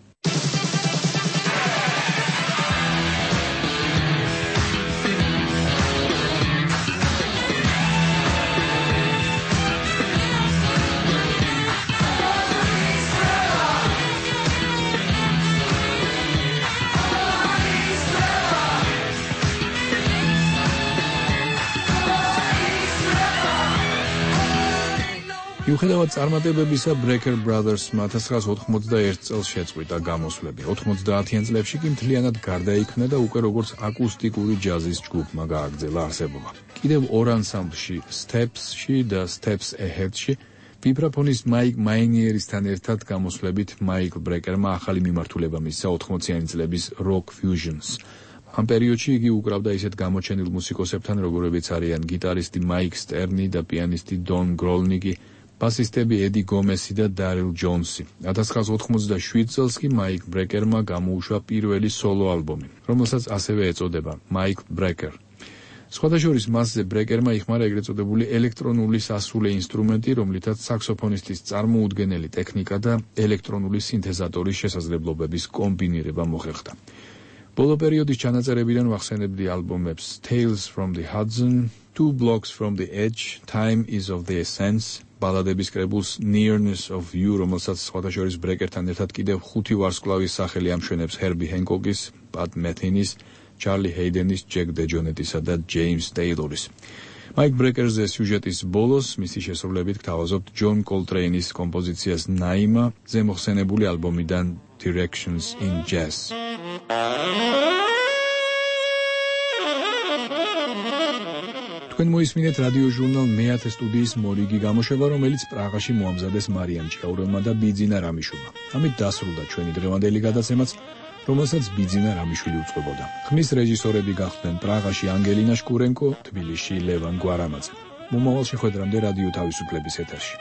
მიუხედავად წარმატებებისა, Brecker Brothers-მა ათას ცხრაასი ოთხმოცდაერთ წელს შეწყვიტა გამოსვლები. ოთხმოცდაათიან წლებში კი მთლიანად გარდაიქმნა და უკვე როგორც აკუსტიკური ჯაზის ჯგუფმა გააგრძელა არსებობა. კიდევ ორ ანსამბლში, Steps-ში და Steps Ahead-ში, ვიბრაფონის მაიკ მაინიერისთან ერთად გამოსვლებით მაიკლ ბრეკერმა ახალი მიმართულება მისცა ოთხმოციანი წლების rock fusions. ამ პერიოდში იგი უკრავდა ისეთ გამოჩენილ მუსიკოსებთან, როგორებიც არიან გიტარისტი მაიკ სტერნი და პიანისტი დონ გროლნიკი, ბასისტები ედი გომესი და დარილ ჯონსი. ათას ცხრაასი ოთხმოცდაშვიდ წელს კი მაიკლ ბრეკერმა გამოუშვა პირველი სოლო ალბომი, რომელსაც ასევე ეწოდება მაიკლ ბრეკერ. სხვათა შორის მასზე ბრეკერმა იხმარა ეგრეთ წოდებული ელექტრონული სასულე ინსტრუმენტი, რომლითაც საქსოფონისტის წარმოუდგენელი ტექნიკა და ელექტრონული სინთეზატორის შესაძლებლობების კომბინირება მოხერხდა. ბოლო პერიოდის ჩანაწერებიდან ვახსენებდი ალბომებს Tales from the Hudson, Two Blocks from the Edge, Time is of the Essence, ბალადების კრებულს Nearness of You, რომელსაც სხვათა შორის ბრეკერთან ერთად კიდევ ხუთი ვარსკვლავის სახელი ამშვენებს ჰერბი ჰენკოკის, პატ მეთინის, ჩარლი ჰეიდენის, ჯეკ დეჯონეტისა და ჯეიმს ტეილორის. Mike Brecker-ზე სიუჟეტის ბოლოს მისი შესრულებით გთავაზობთ ჯონ კოლტრეინის კომპოზიციას ნაიმა, ზემოხსენებული ალბომიდან Directions in Jazz. თქვენ მოისმინეთ რადიო ჟურნალ მეათე სტუდიის მორიგი გამოშვება, რომელიც პრაღაში მოამზადეს მარიამ ჭიაურელმა და ბიძინა რამიშვილმა. ამით დასრულდა ჩვენი დღევანდელი გადაცემაც, რომელსაც ბიძინა რამიშვილი უწყებოდა. ხმის რეჟისორები გახდნენ პრაღაში ანგელინა შკურენკო, თბილისში ლევან გვარამაძე. მომავალ შეხვედრამდე რადიო თავისუფლების ეთერში.